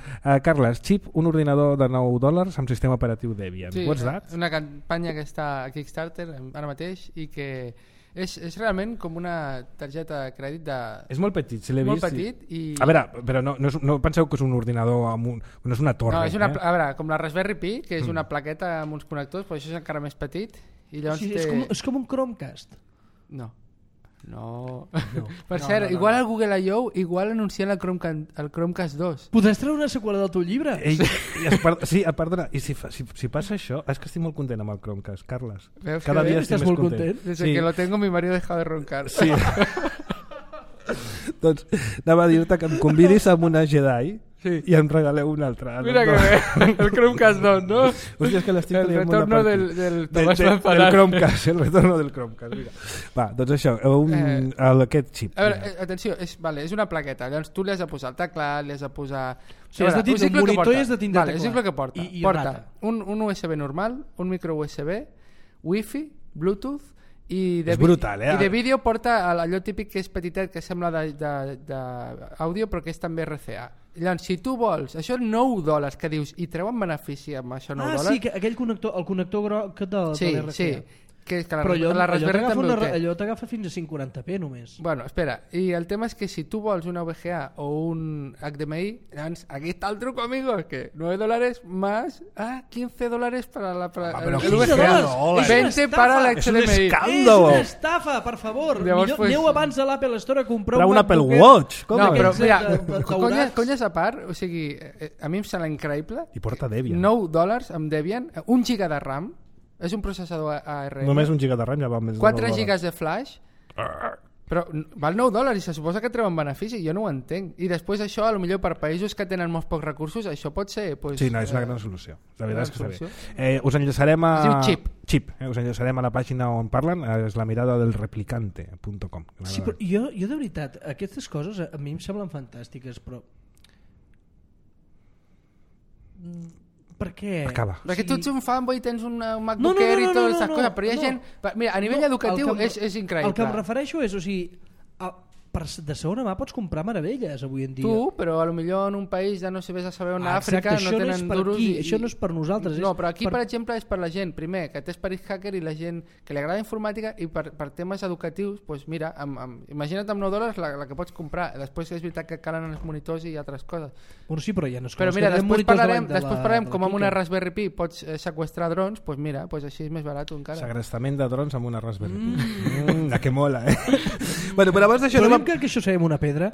Carles, Chip, un ordinador de $9 amb sistema operatiu Debian. Sí, What's that? una campanya que està a Kickstarter ara mateix i que és realment com una targeta de crèdit de... És molt petit, si l'he vist. Molt petit i... A veure, però no penseu que és un ordinador amb no és una torre. No, és una, a veure, com la Raspberry Pi, que és una plaqueta amb uns connectors, però això és encara més petit i llavors O sigui, és com un Chromecast. No. Per cert, igual al Google I.O. igual anuncien el Chromecast 2. Podràs treure una seqüela del teu llibre? Sí, perdona, i si passa això, és que estic molt content amb el Chromecast, Carles. Veus Cada dia estic més content? Desde que lo tengo mi marido ha dejado de roncar. Sí. Doncs anava a dir-te que em convidis amb una Jedi i em regaleu una altra. Mira que bé, el Chromecast 2, ¿no? Hòstia, és que l'estic el retorno del del Chromecast, el retorno del Chromecast. Mira. Va, doncs això, aquest xip. A veure, atenció, és una plaqueta, llavors tu li has de posar el teclat, li has de posar... Sí, has de tindre un monitor i has de tindre teclat. És el que porta. Porta un USB normal, un micro USB, Wi-Fi, Bluetooth, i de, és brutal, i de vídeo porta allò típic que és petitet, que sembla d'àudio però que és també RCA. Llavors, si tu vols, això $9 que dius, i treuen benefici amb això $9? Sí, que aquell connector, el connector groc de l'RCA. Sí, que però la Raspberry també ho té. Allò t'agafa fins a 540p només. Bueno, espera, i el tema és que si tu vols una VGA o un HDMI, doncs aquí està el truco, amigos, que $9 más $15 para la pero el VGA. No, 20 para la HDMI. És un escàndalo. És una estafa, per favor. Llavors, Aneu abans a l'Apple Store a comprar un Apple Watch. Com no, però mira, conyes a part, o sigui, a mi em sembla increïble. I porta Debian. $9 amb Debian, 1 GB de RAM, és un processador ARM. Només 1 GB de RAM ja va més de 4 GB de flash. Però val $9 i se suposa que treuen benefici, jo no ho entenc. I després això, a lo millor per països que tenen molts pocs recursos, això pot ser... Pues, sí, no, és una gran solució. La veritat és que està bé. Us enllaçarem a... Es diu Chip. Us enllaçarem a la pàgina on parlen, és la mirada del replicante.com. Sí, però jo de veritat, aquestes coses a mi em semblen fantàstiques, però... Per què? Acaba. Perquè tu ets un fanboy i tens un MacBook Air i totes aquestes coses, però hi ha gent... Mira, a nivell educatiu és increïble. El que em refereixo és, o sigui, de segona mà pots comprar meravelles avui en dia. Tu, però a lo millor en un país ja no sé a saber on a Àfrica no tenen duros. Això no és per nosaltres. No, però aquí, per exemple, és per la gent, primer, que té esperit hacker i la gent que li agrada informàtica, i per temes educatius, doncs mira, imagina't amb $9 la que pots comprar. Després és veritat que calen els monitors i altres coses. Bueno, sí, però ja no és però mira, després parlarem com amb una Raspberry Pi pots seqüestrar drons, doncs mira, així és més barat encara. Segrestament de drons amb una Raspberry Pi. Que mola, Bueno, però abans d'això... Però que això sabem una pedra?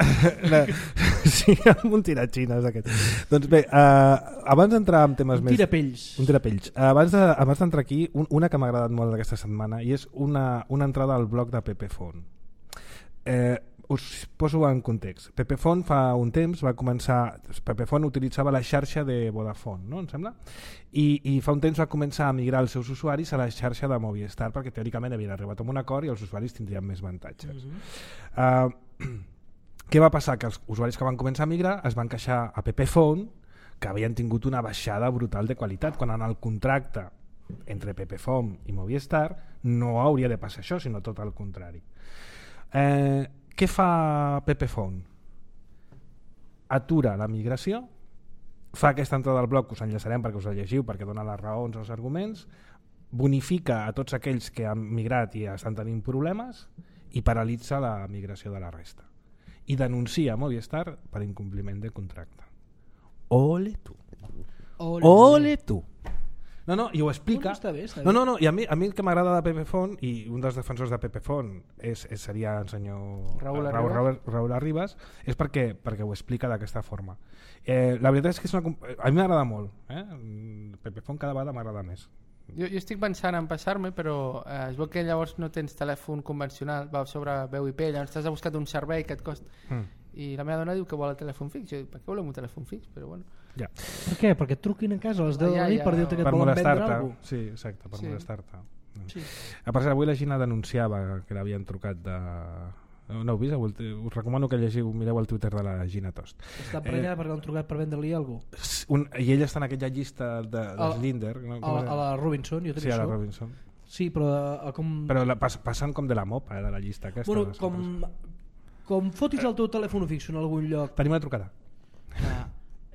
Sí, amb un tiratxines aquest. Doncs bé, abans d'entrar en temes més... Un tirapells. Abans d'entrar aquí, una que m'ha agradat molt d'aquesta setmana, i és una entrada al blog de Pepefont. Us poso en context. Pepefont fa un temps va començar... Pepefont utilitzava la xarxa de Vodafone, no? Em sembla? I fa un temps va començar a migrar els seus usuaris a la xarxa de Movistar, perquè teòricament havien arribat a un acord i els usuaris tindrien més avantatges. Què va passar? Que els usuaris que van començar a migrar es van queixar a Pepefont que havien tingut una baixada brutal de qualitat, quan en el contracte entre Pepefont i Movistar no hauria de passar això, sinó tot el contrari. Què fa Pepefont? Atura la migració, fa aquesta entrada al blog, us enllaçarem perquè us la llegiu, perquè dona les raons, els arguments, bonifica a tots aquells que han migrat i estan tenint problemes i paralitza la migració de la resta. I denuncia Movistar per incompliment de contracte. Ole tu. Ole tu. No, i ho explica. Està bé. No, i a mi el que m'agrada de Pepefont, i un dels defensors de Pepefont seria el senyor Raúl Arribas, és perquè ho explica d'aquesta forma. La veritat és que a mi m'agrada molt. Pepefont cada vegada m'agrada més. Jo estic pensant en passar-me, però es veu que llavors no tens telèfon convencional, va sobre veu IP, llavors t'has buscat un servei que et costa... I la meva dona diu que vol el telèfon fix. Jo dic, per què volem un telèfon fix? Però bueno. Ja. Per què? Perquè et truquin a casa a les 10 de la nit per dir-te que et Per volen vendre molestar-te. alguna cosa? Sí, exacte, per molestar-te. Sí. A part, avui la Gina denunciava que l'havien trucat de... No heu vist? Us recomano que mireu el Twitter de la Gina Tost. Està emprenyada perquè l'han trucat per vendre-li alguna cosa. I ella està en aquella llista de Slinder. No? A la Robinson, jo sí, a la Robinson. Sí, però com... Però passen com de la mopa, de la llista aquesta. Bueno, com fotis el teu telèfon fix en algun lloc. Tenim una trucada.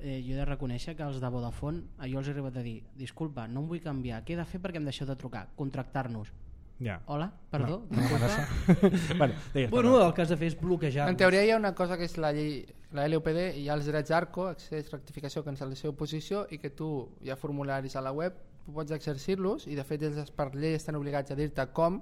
Jo he de reconèixer que els de Vodafone, jo els he arribat a dir, disculpa, no em vull canviar, què he de fer perquè em deixeu de trucar? Contractar-nos. Ja. Hola, perdó. Bueno, el que has de fer és bloquejar-nos. En teoria hi ha una cosa que és la llei, la LUPD, i hi ha els drets ARCO, accés, rectificació, cancel·lació, oposició, i que tu hi ha formularis a la web, tu pots exercir-los, i de fet ells per llei estan obligats a dir-te com,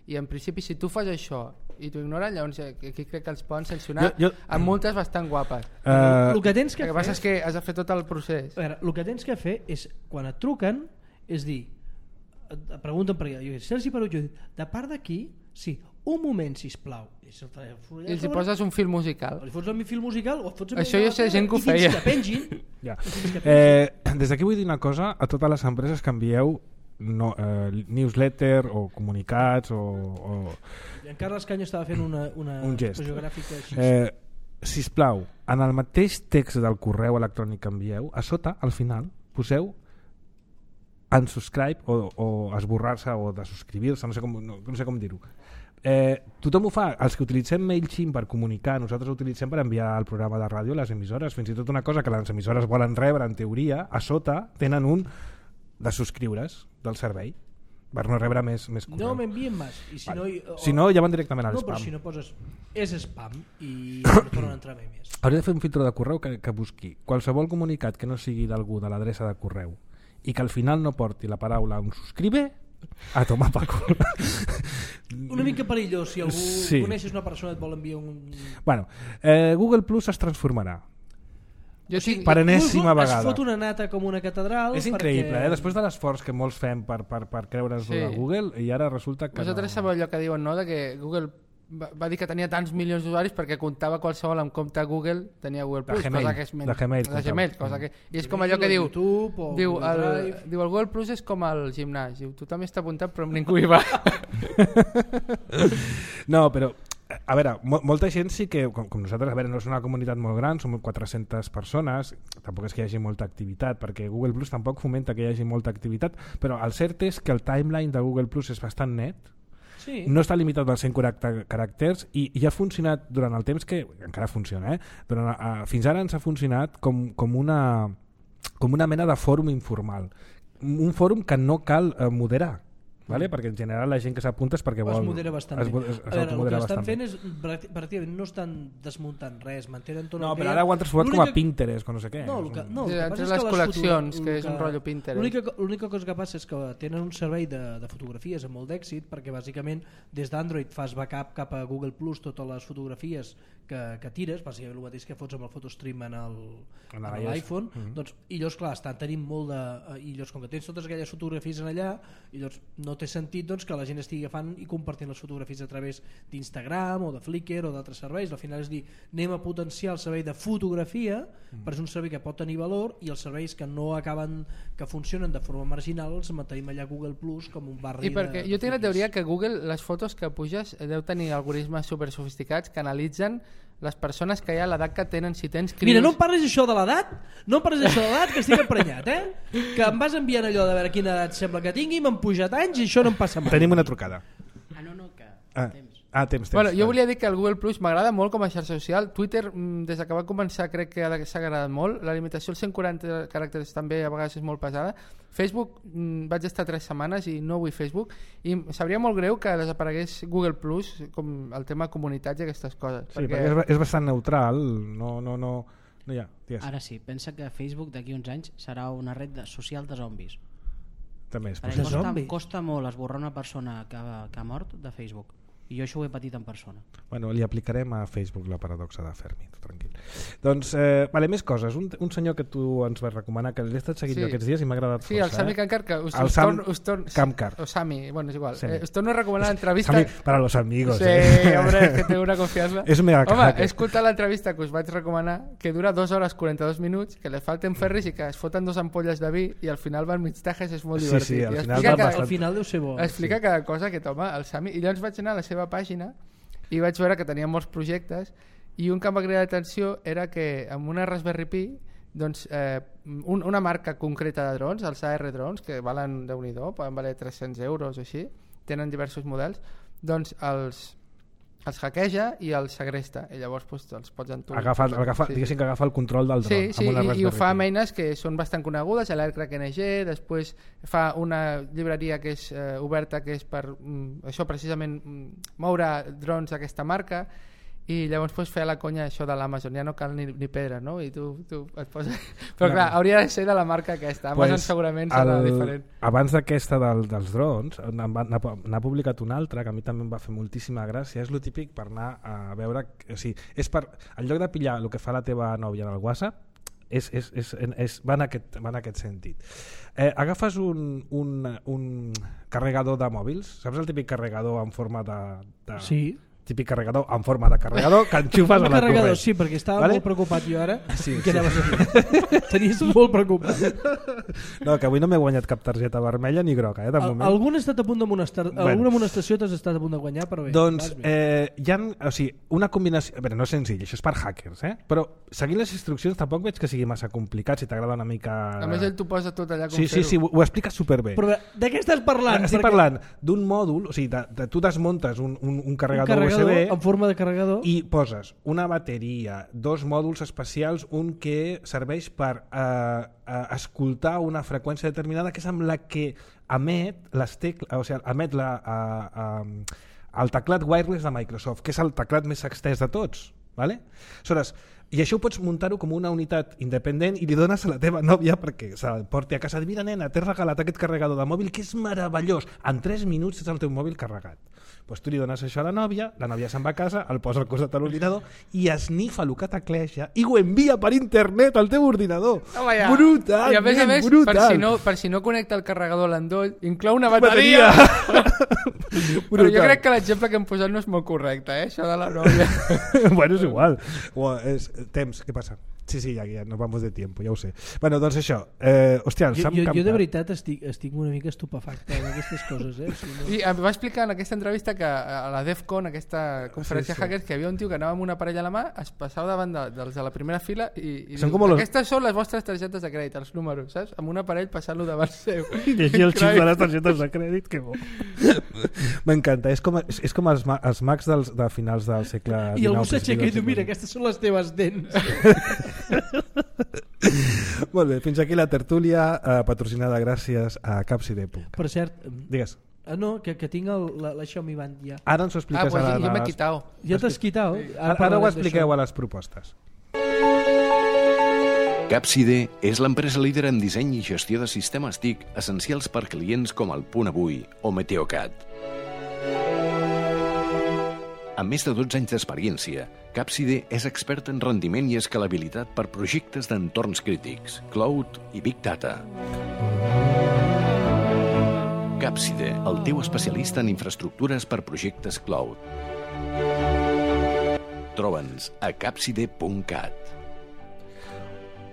i en principi si tu fas això i t'ho ignoren, llavors aquí crec que els poden sancionar amb multes bastant guapes. El que tens que fer... El que passa és que has de fer tot el procés. A veure, el que tens que fer és, quan et truquen, és dir, et pregunten per allà, jo dic, Sergi Perut, jo dic, de part d'aquí, sí, un moment, sisplau. I els hi poses un fil musical. Li fots un fil musical o et fots això jo sé gent que ho feia. I fins que pengin. Ja. Des d'aquí vull dir una cosa a totes les empreses que envieu newsletter o comunicats o... En Carles Canyo estava fent una un gest gràfica així. Sisplau, en el mateix text del correu electrònic que envieu, a sota, al final, poseu unsubscribe o esborrar-se o desubscribir-se, no sé com dir-ho. Tothom ho fa, els que utilitzem MailChimp per comunicar, nosaltres ho utilitzem per enviar el programa de ràdio a les emissores, fins i tot una cosa que les emissores volen rebre en teoria, a sota tenen un de subscriure's del servei per no rebre més correu. No m'envien més. I si no, ja van directament al spam. No, però si no poses és spam i no tornen a entrar més. Hauria de fer un filtre de correu que busqui qualsevol comunicat que no sigui d'algú de l'adreça de correu i que al final no porti la paraula un subscribe a tomar per cul. Una mica perillós, si algú coneixes una persona et vol enviar un... Bueno, Google Plus es transformarà. Per enèsima vegada. Es fot una nata com una catedral. És increïble, després de l'esforç que molts fem per creure's a Google, i ara resulta que vosaltres sabeu allò que diuen, no? De que Google va dir que tenia tants milions d'usuaris perquè comptava qualsevol amb compte Google, tenia Google Plus, cosa que és de Gmail, cosa que... I és com allò que diu el Google Plus és com el gimnàs, diu, tothom està apuntat però ningú hi va. No, però a veure, molta gent sí que, com nosaltres, a veure, no és una comunitat molt gran, som 400 persones, tampoc és que hi hagi molta activitat, perquè Google Plus tampoc fomenta que hi hagi molta activitat, però el cert és que el timeline de Google Plus és bastant net, no està limitat als 140 caràcters i ha funcionat durant el temps que encara funciona, fins ara ens ha funcionat com una mena de fòrum informal, un fòrum que no cal moderar, vale? Perquè en general la gent que s'apunta és perquè vol... Es modera bastant bé. El que estan fent és pràcticament no estan desmuntant res, mantenen tot el que hi ha. No, però ara ho han transformat com a Pinterest, com no sé què. No, entre les col·leccions, que és un rotllo Pinterest. L'única cosa que passa és que tenen un servei de fotografies amb molt d'èxit, perquè bàsicament des d'Android fas backup cap a Google Plus totes les fotografies que tires, bàsicament el mateix que fots amb el PhotoStream en l'iPhone, i llavors clar, estan tenint molt de... i llavors com que tens totes aquelles fotografies en allà, i llavors no té sentit que la gent estigui agafant i compartint les fotografies a través d'Instagram o de Flickr o d'altres serveis. Al final és dir, anem a potenciar el servei de fotografia, però és un servei que pot tenir valor, i els serveis que no acaben, que funcionen de forma marginal, els mantenim allà a Google Plus com un barri. I perquè jo tinc la teoria que Google, les fotos que puges deu tenir algoritmes super sofisticats que analitzen les persones que hi ha a l'edat que tenen, si tens crios... Mira, no em parlis això de l'edat, que estic emprenyat, que em vas enviant allò de veure quina edat sembla que tingui, m'han pujat anys i això no em passa mai. Tenim una trucada. Temps. Bueno, jo volia dir que el Google Plus m'agrada molt com a xarxa social. Twitter, des que va començar, crec que s'ha agradat molt. La limitació als 140 caràcters també a vegades és molt pesada. Facebook, vaig estar 3 setmanes i no vull Facebook, i sabria molt greu que desaparegués Google Plus, com el tema comunitats i aquestes coses. Sí, perquè és bastant neutral, no hi ha. Ara sí, pensa que Facebook d'aquí uns anys serà una red social de zombis. També és costa molt esborrar una persona que ha mort de Facebook. I jo això ho he patit en persona. Bueno, li aplicarem a Facebook la paradoxa de Fermi, tranquil. Doncs, vale, més coses. Un senyor que tu ens vas recomanar, que l'he estat seguint aquests dies i m'ha agradat força. Sí, el Sami Kamkar, que Kamkar. O Sami, bueno, és igual. Us torno a recomanar l'entrevista... Sami, para los amigos. Sí, hombre, que tengo una confiança. És mega Home, hacker. he escoltat l'entrevista que us vaig recomanar, que dura 2 hores 42 minuts, que les falten ferris i que es foten 2 ampolles de vi i al final van mig tajes, és molt divertit. Sí, al final Al final deu ser bo. Explica cada cosa que toma el Sami. I llavors vaig anar a la seva pàgina i vaig veure que tenia molts projectes i un que em va cridar l'atenció era que amb una Raspberry Pi doncs, una marca concreta de drons, els AR Drones, que valen Déu-n'hi-do, poden valer 300 euros o així, tenen diversos models, doncs els hackeja i els segresta i llavors doncs, els pots entonar. Diguéssim que agafa el control del dron. Sí, i ho fa amb eines que són bastant conegudes, l'Aircrack NG, després fa una llibreria que és oberta, que és per això precisament moure drons d'aquesta marca, i llavors pots fer la conya això de l'Amazon, ja no cal ni pedra, no? I tu et poses... Però clar, hauria de ser de la marca aquesta, Amazon segurament serà diferent. Abans d'aquesta dels drons n'ha publicat una altra que a mi també em va fer moltíssima gràcia, és lo típic per anar a veure, o sigui, és per, en lloc de pillar el que fa la teva nòvia en el WhatsApp, va en aquest sentit. Agafes un carregador de mòbils, saps el típic carregador en forma de... Sí. Típic carregador en forma de carregador que enxufes a la corrent. Sí, perquè estava molt preocupat jo ara. Sí, que anaves a fer? Tenies molt preocupat. No, que avui no m'he guanyat cap targeta vermella ni groga, de moment. Alguna has estat a punt de alguna amonestació t'has estat a punt de guanyar, però bé. Doncs hi ha, o sigui, una combinació... A veure, no és senzill, això és per hackers, però seguint les instruccions tampoc veig que sigui massa complicat, si t'agrada una mica... A més, ell t'ho posa tot allà com fer-ho. Sí, ho explica superbé. Però de què estàs parlant? Estic parlant d'un mòdul, o sigui, tu desmuntes un carregador USB en forma de carregador i poses una bateria, 2 mòduls especials, un que serveix per escoltar una freqüència determinada que és amb la que emet les tecles, o sigui, emet el teclat wireless de Microsoft, que és el teclat més extès de tots, ¿vale? Aleshores, i això ho pots muntar-ho com una unitat independent i li dones a la teva nòvia perquè se'l porti a casa. Mira, nena, t'he regalat aquest carregador de mòbil que és meravellós, en 3 minuts tens el teu mòbil carregat. Pues tu li dones això a la nòvia se'n va a casa, el posa al costat de l'ordinador i esnifa el que tecleja i ho envia per internet al teu ordinador. Brutal, i a més, brutal. Per si no connecta el carregador a l'endoll, inclou una bateria. Però jo crec que l'exemple que hem posat no és molt correcte, això de la nòvia. Bueno, és igual. Temps, què passa? Sí, ja nos vamos de tiempo, ja ho sé. Bueno, doncs això, hòstia, jo de veritat estic una mica estupefacte amb aquestes coses, I em va explicar en aquesta entrevista que a la DEFCON, aquesta conferència hackers, que hi havia un tio que anava amb una parella a la mà, es passava davant dels de la primera fila i diu, aquestes són les vostres targetes de crèdit, els números, saps? Amb un aparell passant-lo davant seu. I llegir el xip de les targetes de crèdit, que bo. M'encanta, és com els Macs de finals del segle XIX. I algú s'aixeca i diu, mira, aquestes són les teves dents. Molt bé, fins aquí la tertúlia patrocinada gràcies a Capside. Per cert, digues. No, que tinc la Xiaomi Band ja. Ara ens ho expliques. Pues jo m'he quitat. Ja t'has quitat? Ara ho expliqueu a les propostes. Capside és l'empresa líder en disseny i gestió de sistemes TIC essencials per clients com el Punt Avui o Meteocat. Amb més de 12 anys d'experiència, Capside és expert en rendiment i escalabilitat per projectes d'entorns crítics, cloud i big data. Capside, el teu especialista en infraestructures per projectes cloud. Troba'ns a capside.cat.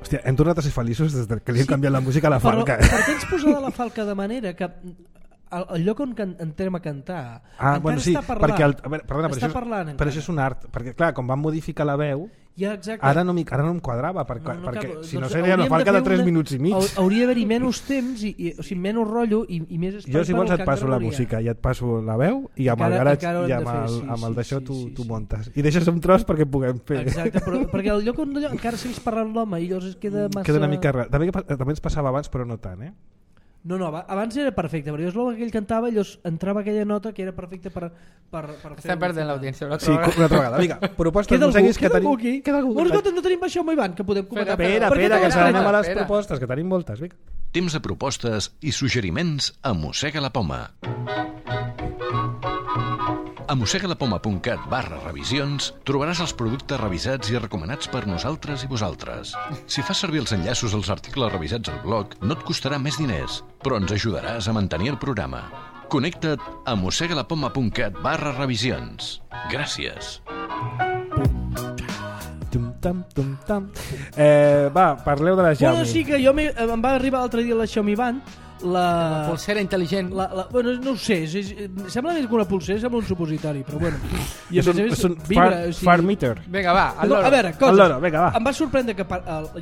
Hòstia, hem tornat a ser feliços des que li hem canviat la música a la Falca. Però per què ets posada la Falca de manera que el lloc on entrem a cantar bueno, sí, està parlant, perquè però això és un art, perquè clar, com van modificar la veu ara no em quadrava perquè si no seria una Falca de 3 minuts i mig. Hauria d'haver-hi menys temps o sigui, menys rotllo i més espai. Jo si vols et passo la música i et passo la veu i amb el garatge i amb el d'això tu montes i deixes un tros perquè puguem fer. Exacte, però perquè el lloc on encara seguís parlant l'home i llavors queda massa... Queda una mica rar. També ens passava abans però no tant, No, abans era perfecte, però jo és que ell cantava i llavors entrava aquella nota que era perfecta per Estem perdent l'audiència una altra vegada. Sí, una altra vegada. Vinga, propostes museguis que tenim... Queda algú. No tenim això amb Ivan, que podem comentar. Espera, que anem a les propostes, que tenim moltes. Vinga. Temps de propostes i suggeriments a Mossega la Poma. A mossegalapoma.cat/revisions trobaràs els productes revisats i recomanats per nosaltres i vosaltres. Si fas servir els enllaços als articles revisats al blog, no et costarà més diners, però ens ajudaràs a mantenir el programa. Connecta't a mossegalapoma.cat/revisions. Gràcies. Va, parleu de la Xiaomi. Bueno, sí que em va arribar l'altre dia la Xiaomi Band, La pulsera intel·ligent. Bueno, no ho sé, sembla més que una pulsera, sembla un supositori, però bueno. I És un far meter. Vinga, va, no, a veure, coses. Vinga, va. Em va sorprendre que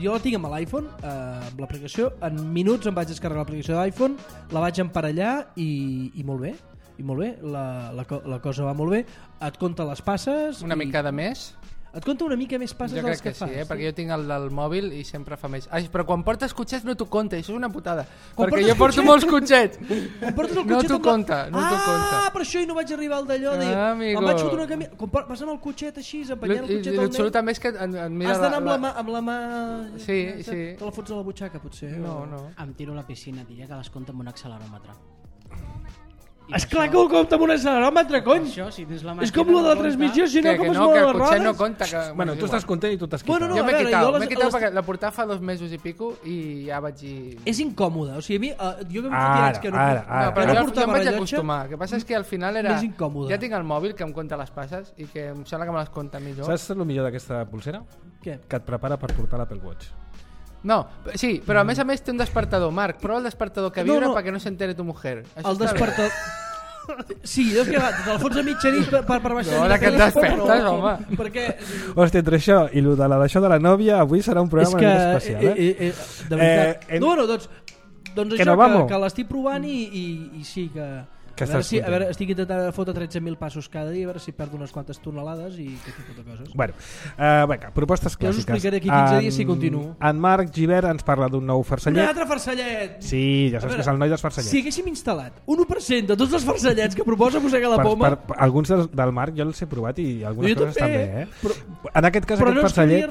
jo la tinc amb l'iPhone, amb l'aplicació, en minuts em vaig descarregar l'aplicació de l'iPhone, la vaig emparellar i molt bé. I molt bé, la cosa va molt bé. Et compta les passes. Una mica de més. Et compta una mica més passes dels que fas. Sí, perquè jo tinc el del mòbil i sempre fa més. Ai, però quan portes cotxets no t'ho compta, això és una putada. Quan perquè jo porto molts cotxets. Quan portes el no cotxet t'ho compta, no t'ho compta. Per això no vaig arribar al d'allò. Amigo. Em vaig fotre una camisa. Vas amb el cotxet així, empenyant el cotxet al nen. L'absolut també és que et mira has d'anar amb la mà... Sí. Te la fots a la butxaca, potser. No. Em tiro a la piscina, diria que les compta amb un acceleròmetre. Esclar que ho compta amb un acceleròmetre, cony! Això, si tens la és com lo de la transmissió, si no, com es mouen les rodes? Que el cotxet no compta. Bueno, tu estàs content i tu t'has quitat. Bueno, jo m'he quitat perquè la portava fa 2 mesos i pico i ja vaig dir... És incòmode, o sigui, a mi, jo que em fotia anys que no però jo em vaig acostumar. El que passa és que al final era... Més incòmode. Ja tinc el mòbil que em compta les passes i que em sembla que me les compta millor. Saps el millor d'aquesta pulsera? Què? Que et prepara per portar l'Apple Watch. No, sí, però a més té un despertador. Marc, prova el despertador que vibra perquè no s'entere tu mujer. El despertador... Sí, és que te la fots a mitjanit per baixar. No, ara que et despertes, home. Perquè... Hòstia, entre això i d'això de la nòvia, avui serà un programa molt especial, de veritat. Doncs això, que l'estic provant i sí que... A veure, estic intentant fotre 13.000 passos cada dia, a veure si perdo unes quantes tonelades i aquest tipus de coses. Bueno, vinga, propostes clàssiques. Ja us explicaré aquí 15 dies si continuo. En Marc Givert ens parla d'un nou farcellet. Un altre farcellet! Sí, ja saps que és el noi dels farcellets. Si haguéssim instal·lat 1% de tots els farcellets que proposa Mossega la Poma... Alguns del Marc jo els he provat i algunes coses estan bé. En aquest cas, aquest farcellet...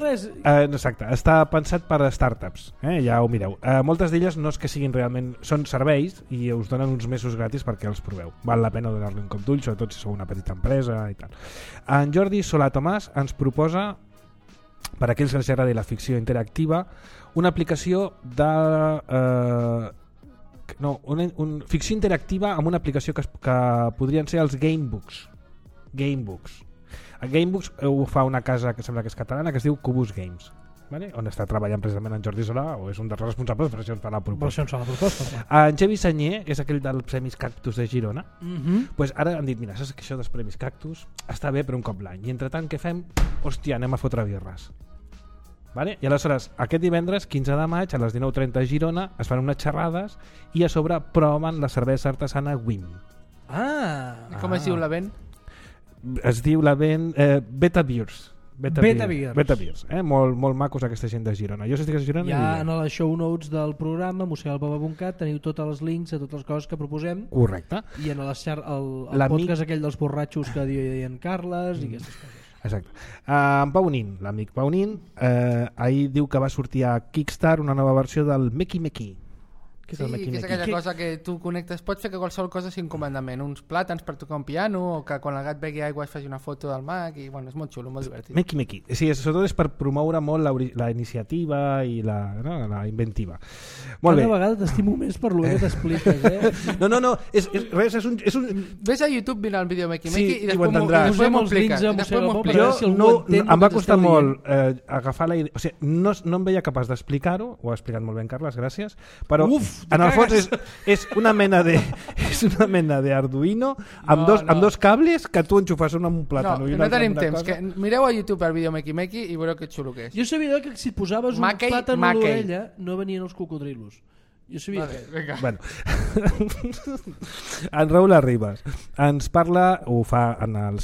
Exacte, està pensat per a startups, ja ho mireu. Moltes d'elles no és que siguin realment... Són serveis i us donen uns mesos gratis perquè els proveu. Val la pena donar-li un cop d'ull, sobretot si sou una petita empresa i tal. En Jordi Solà Tomàs ens proposa, per a aquells que els agradi la ficció interactiva, una aplicació de... ficció interactiva amb una aplicació que podrien ser els Gamebooks. El Gamebooks ho fa una casa que sembla que és catalana que es diu Cubus Games. Vale? On està treballant precisament en Jordi Solà, o és un dels responsables, per això ens fa la proposta. En Xavi Sanyer, que és aquell dels Premis Cactus de Girona, pues ara han dit, mira, saps que això dels Premis Cactus està bé per un cop l'any, i entre tant què fem? Hòstia, anem a fotre birres. Vale? I aleshores, aquest divendres, 15 de maig, a les 19:30 a Girona, es fan unes xerrades i a sobre proven la cervesa artesana Wim. Com es diu la vent? Es diu la vent Beta Beers. Beta Beers. Molt macos aquesta gent de Girona. Jo estic a Girona ja en les show notes del programa mossegalpoma.cat teniu tots els links a totes les coses que proposem. Correcte. I en el podcast aquell dels borratxos que deien Carles i aquestes coses. Exacte. En Pau Nin, l'amic Pau Nin, ahir diu que va sortir a Kickstarter una nova versió del Meki Meki. Sí, que és aquella cosa que tu connectes, pots fer que qualsevol cosa sigui un comandament, uns plàtans per tocar un piano, o que quan el gat begui aigua es faci una foto del Mac, i bueno, és molt xulo, molt divertit. Meki. Sí, sobretot és per promoure molt la iniciativa i la inventiva. Molt bé. Cada vegada t'estimo més per lo que t'expliques, No, és un... Ves a YouTube, mira el vídeo Meki sí, i després m'ho expliques. Em va costar molt agafar la idea, o sigui, no em veia capaç d'explicar-ho, ho ha explicat molt bé en Carles, gràcies, però en el fons és una mena de Arduino amb dos cables que tu enxufes un amb un plàtano. No tenim temps, que mireu a YouTube el vídeo Meki Meki i veureu que xulo que és. Jo sabia que si posaves un plàtano a l'orella no venien els cocodrilos. Jo sabia que... Bueno. En Raül Arribas ens parla, ho fa en el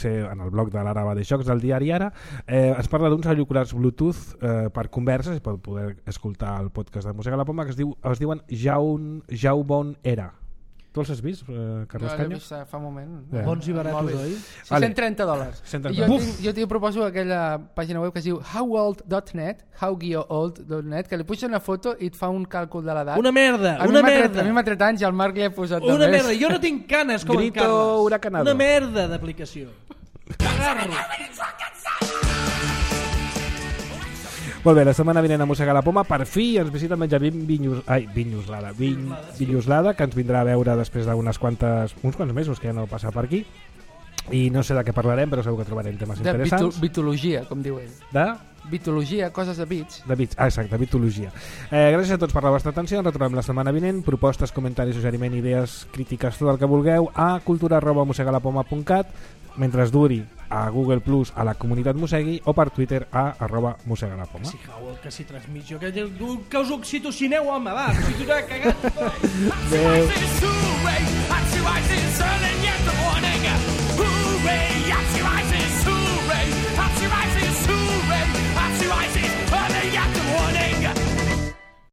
blog de l'Ara de Jocs del diari Ara, ens parla d'uns auriculars Bluetooth per converses, per poder escoltar el podcast de Mossega la Poma, que es diuen Jawbone Era. Tu els has vist, Carles Jo l'he Canyes? vist fa un moment. Bons i baratos, oi? $130. 130. I jo t'hi proposo aquella pàgina web que es diu howold.net, how-old.net, que li puges una foto i et fa un càlcul de l'edat. Una merda, A mi una m'ha tret- merda. A mi m'ha tret anys i al Marc li he posat de Una més. merda, jo no tinc canes com Grito en Carles. huracanado. Una merda d'aplicació. Cagarro. Molt bé, la setmana vinent a Mossegar la Poma per fi ens visita el Benjamín Vinyoslada, que ens vindrà a veure després d'uns quants mesos que ja no passa per aquí, i no sé de què parlarem, però segur que trobarem temes De interessants. bitologia, com diu ell. De Bitologia, coses de bits. bits, exacte, bitologia. Gràcies a tots per la vostra atenció, ens retrobem la setmana vinent. Propostes, comentaris, suggeriment, idees, crítiques, tot el que vulgueu a cultura@mossegalapoma.cat, mentre es duri a Google Plus a la comunitat Mossegui o per Twitter a @mossegalapoma. Sí, Howell, que si transmissió, que us oxitocineu, home, va, que si tu t'has cagat. Adéu.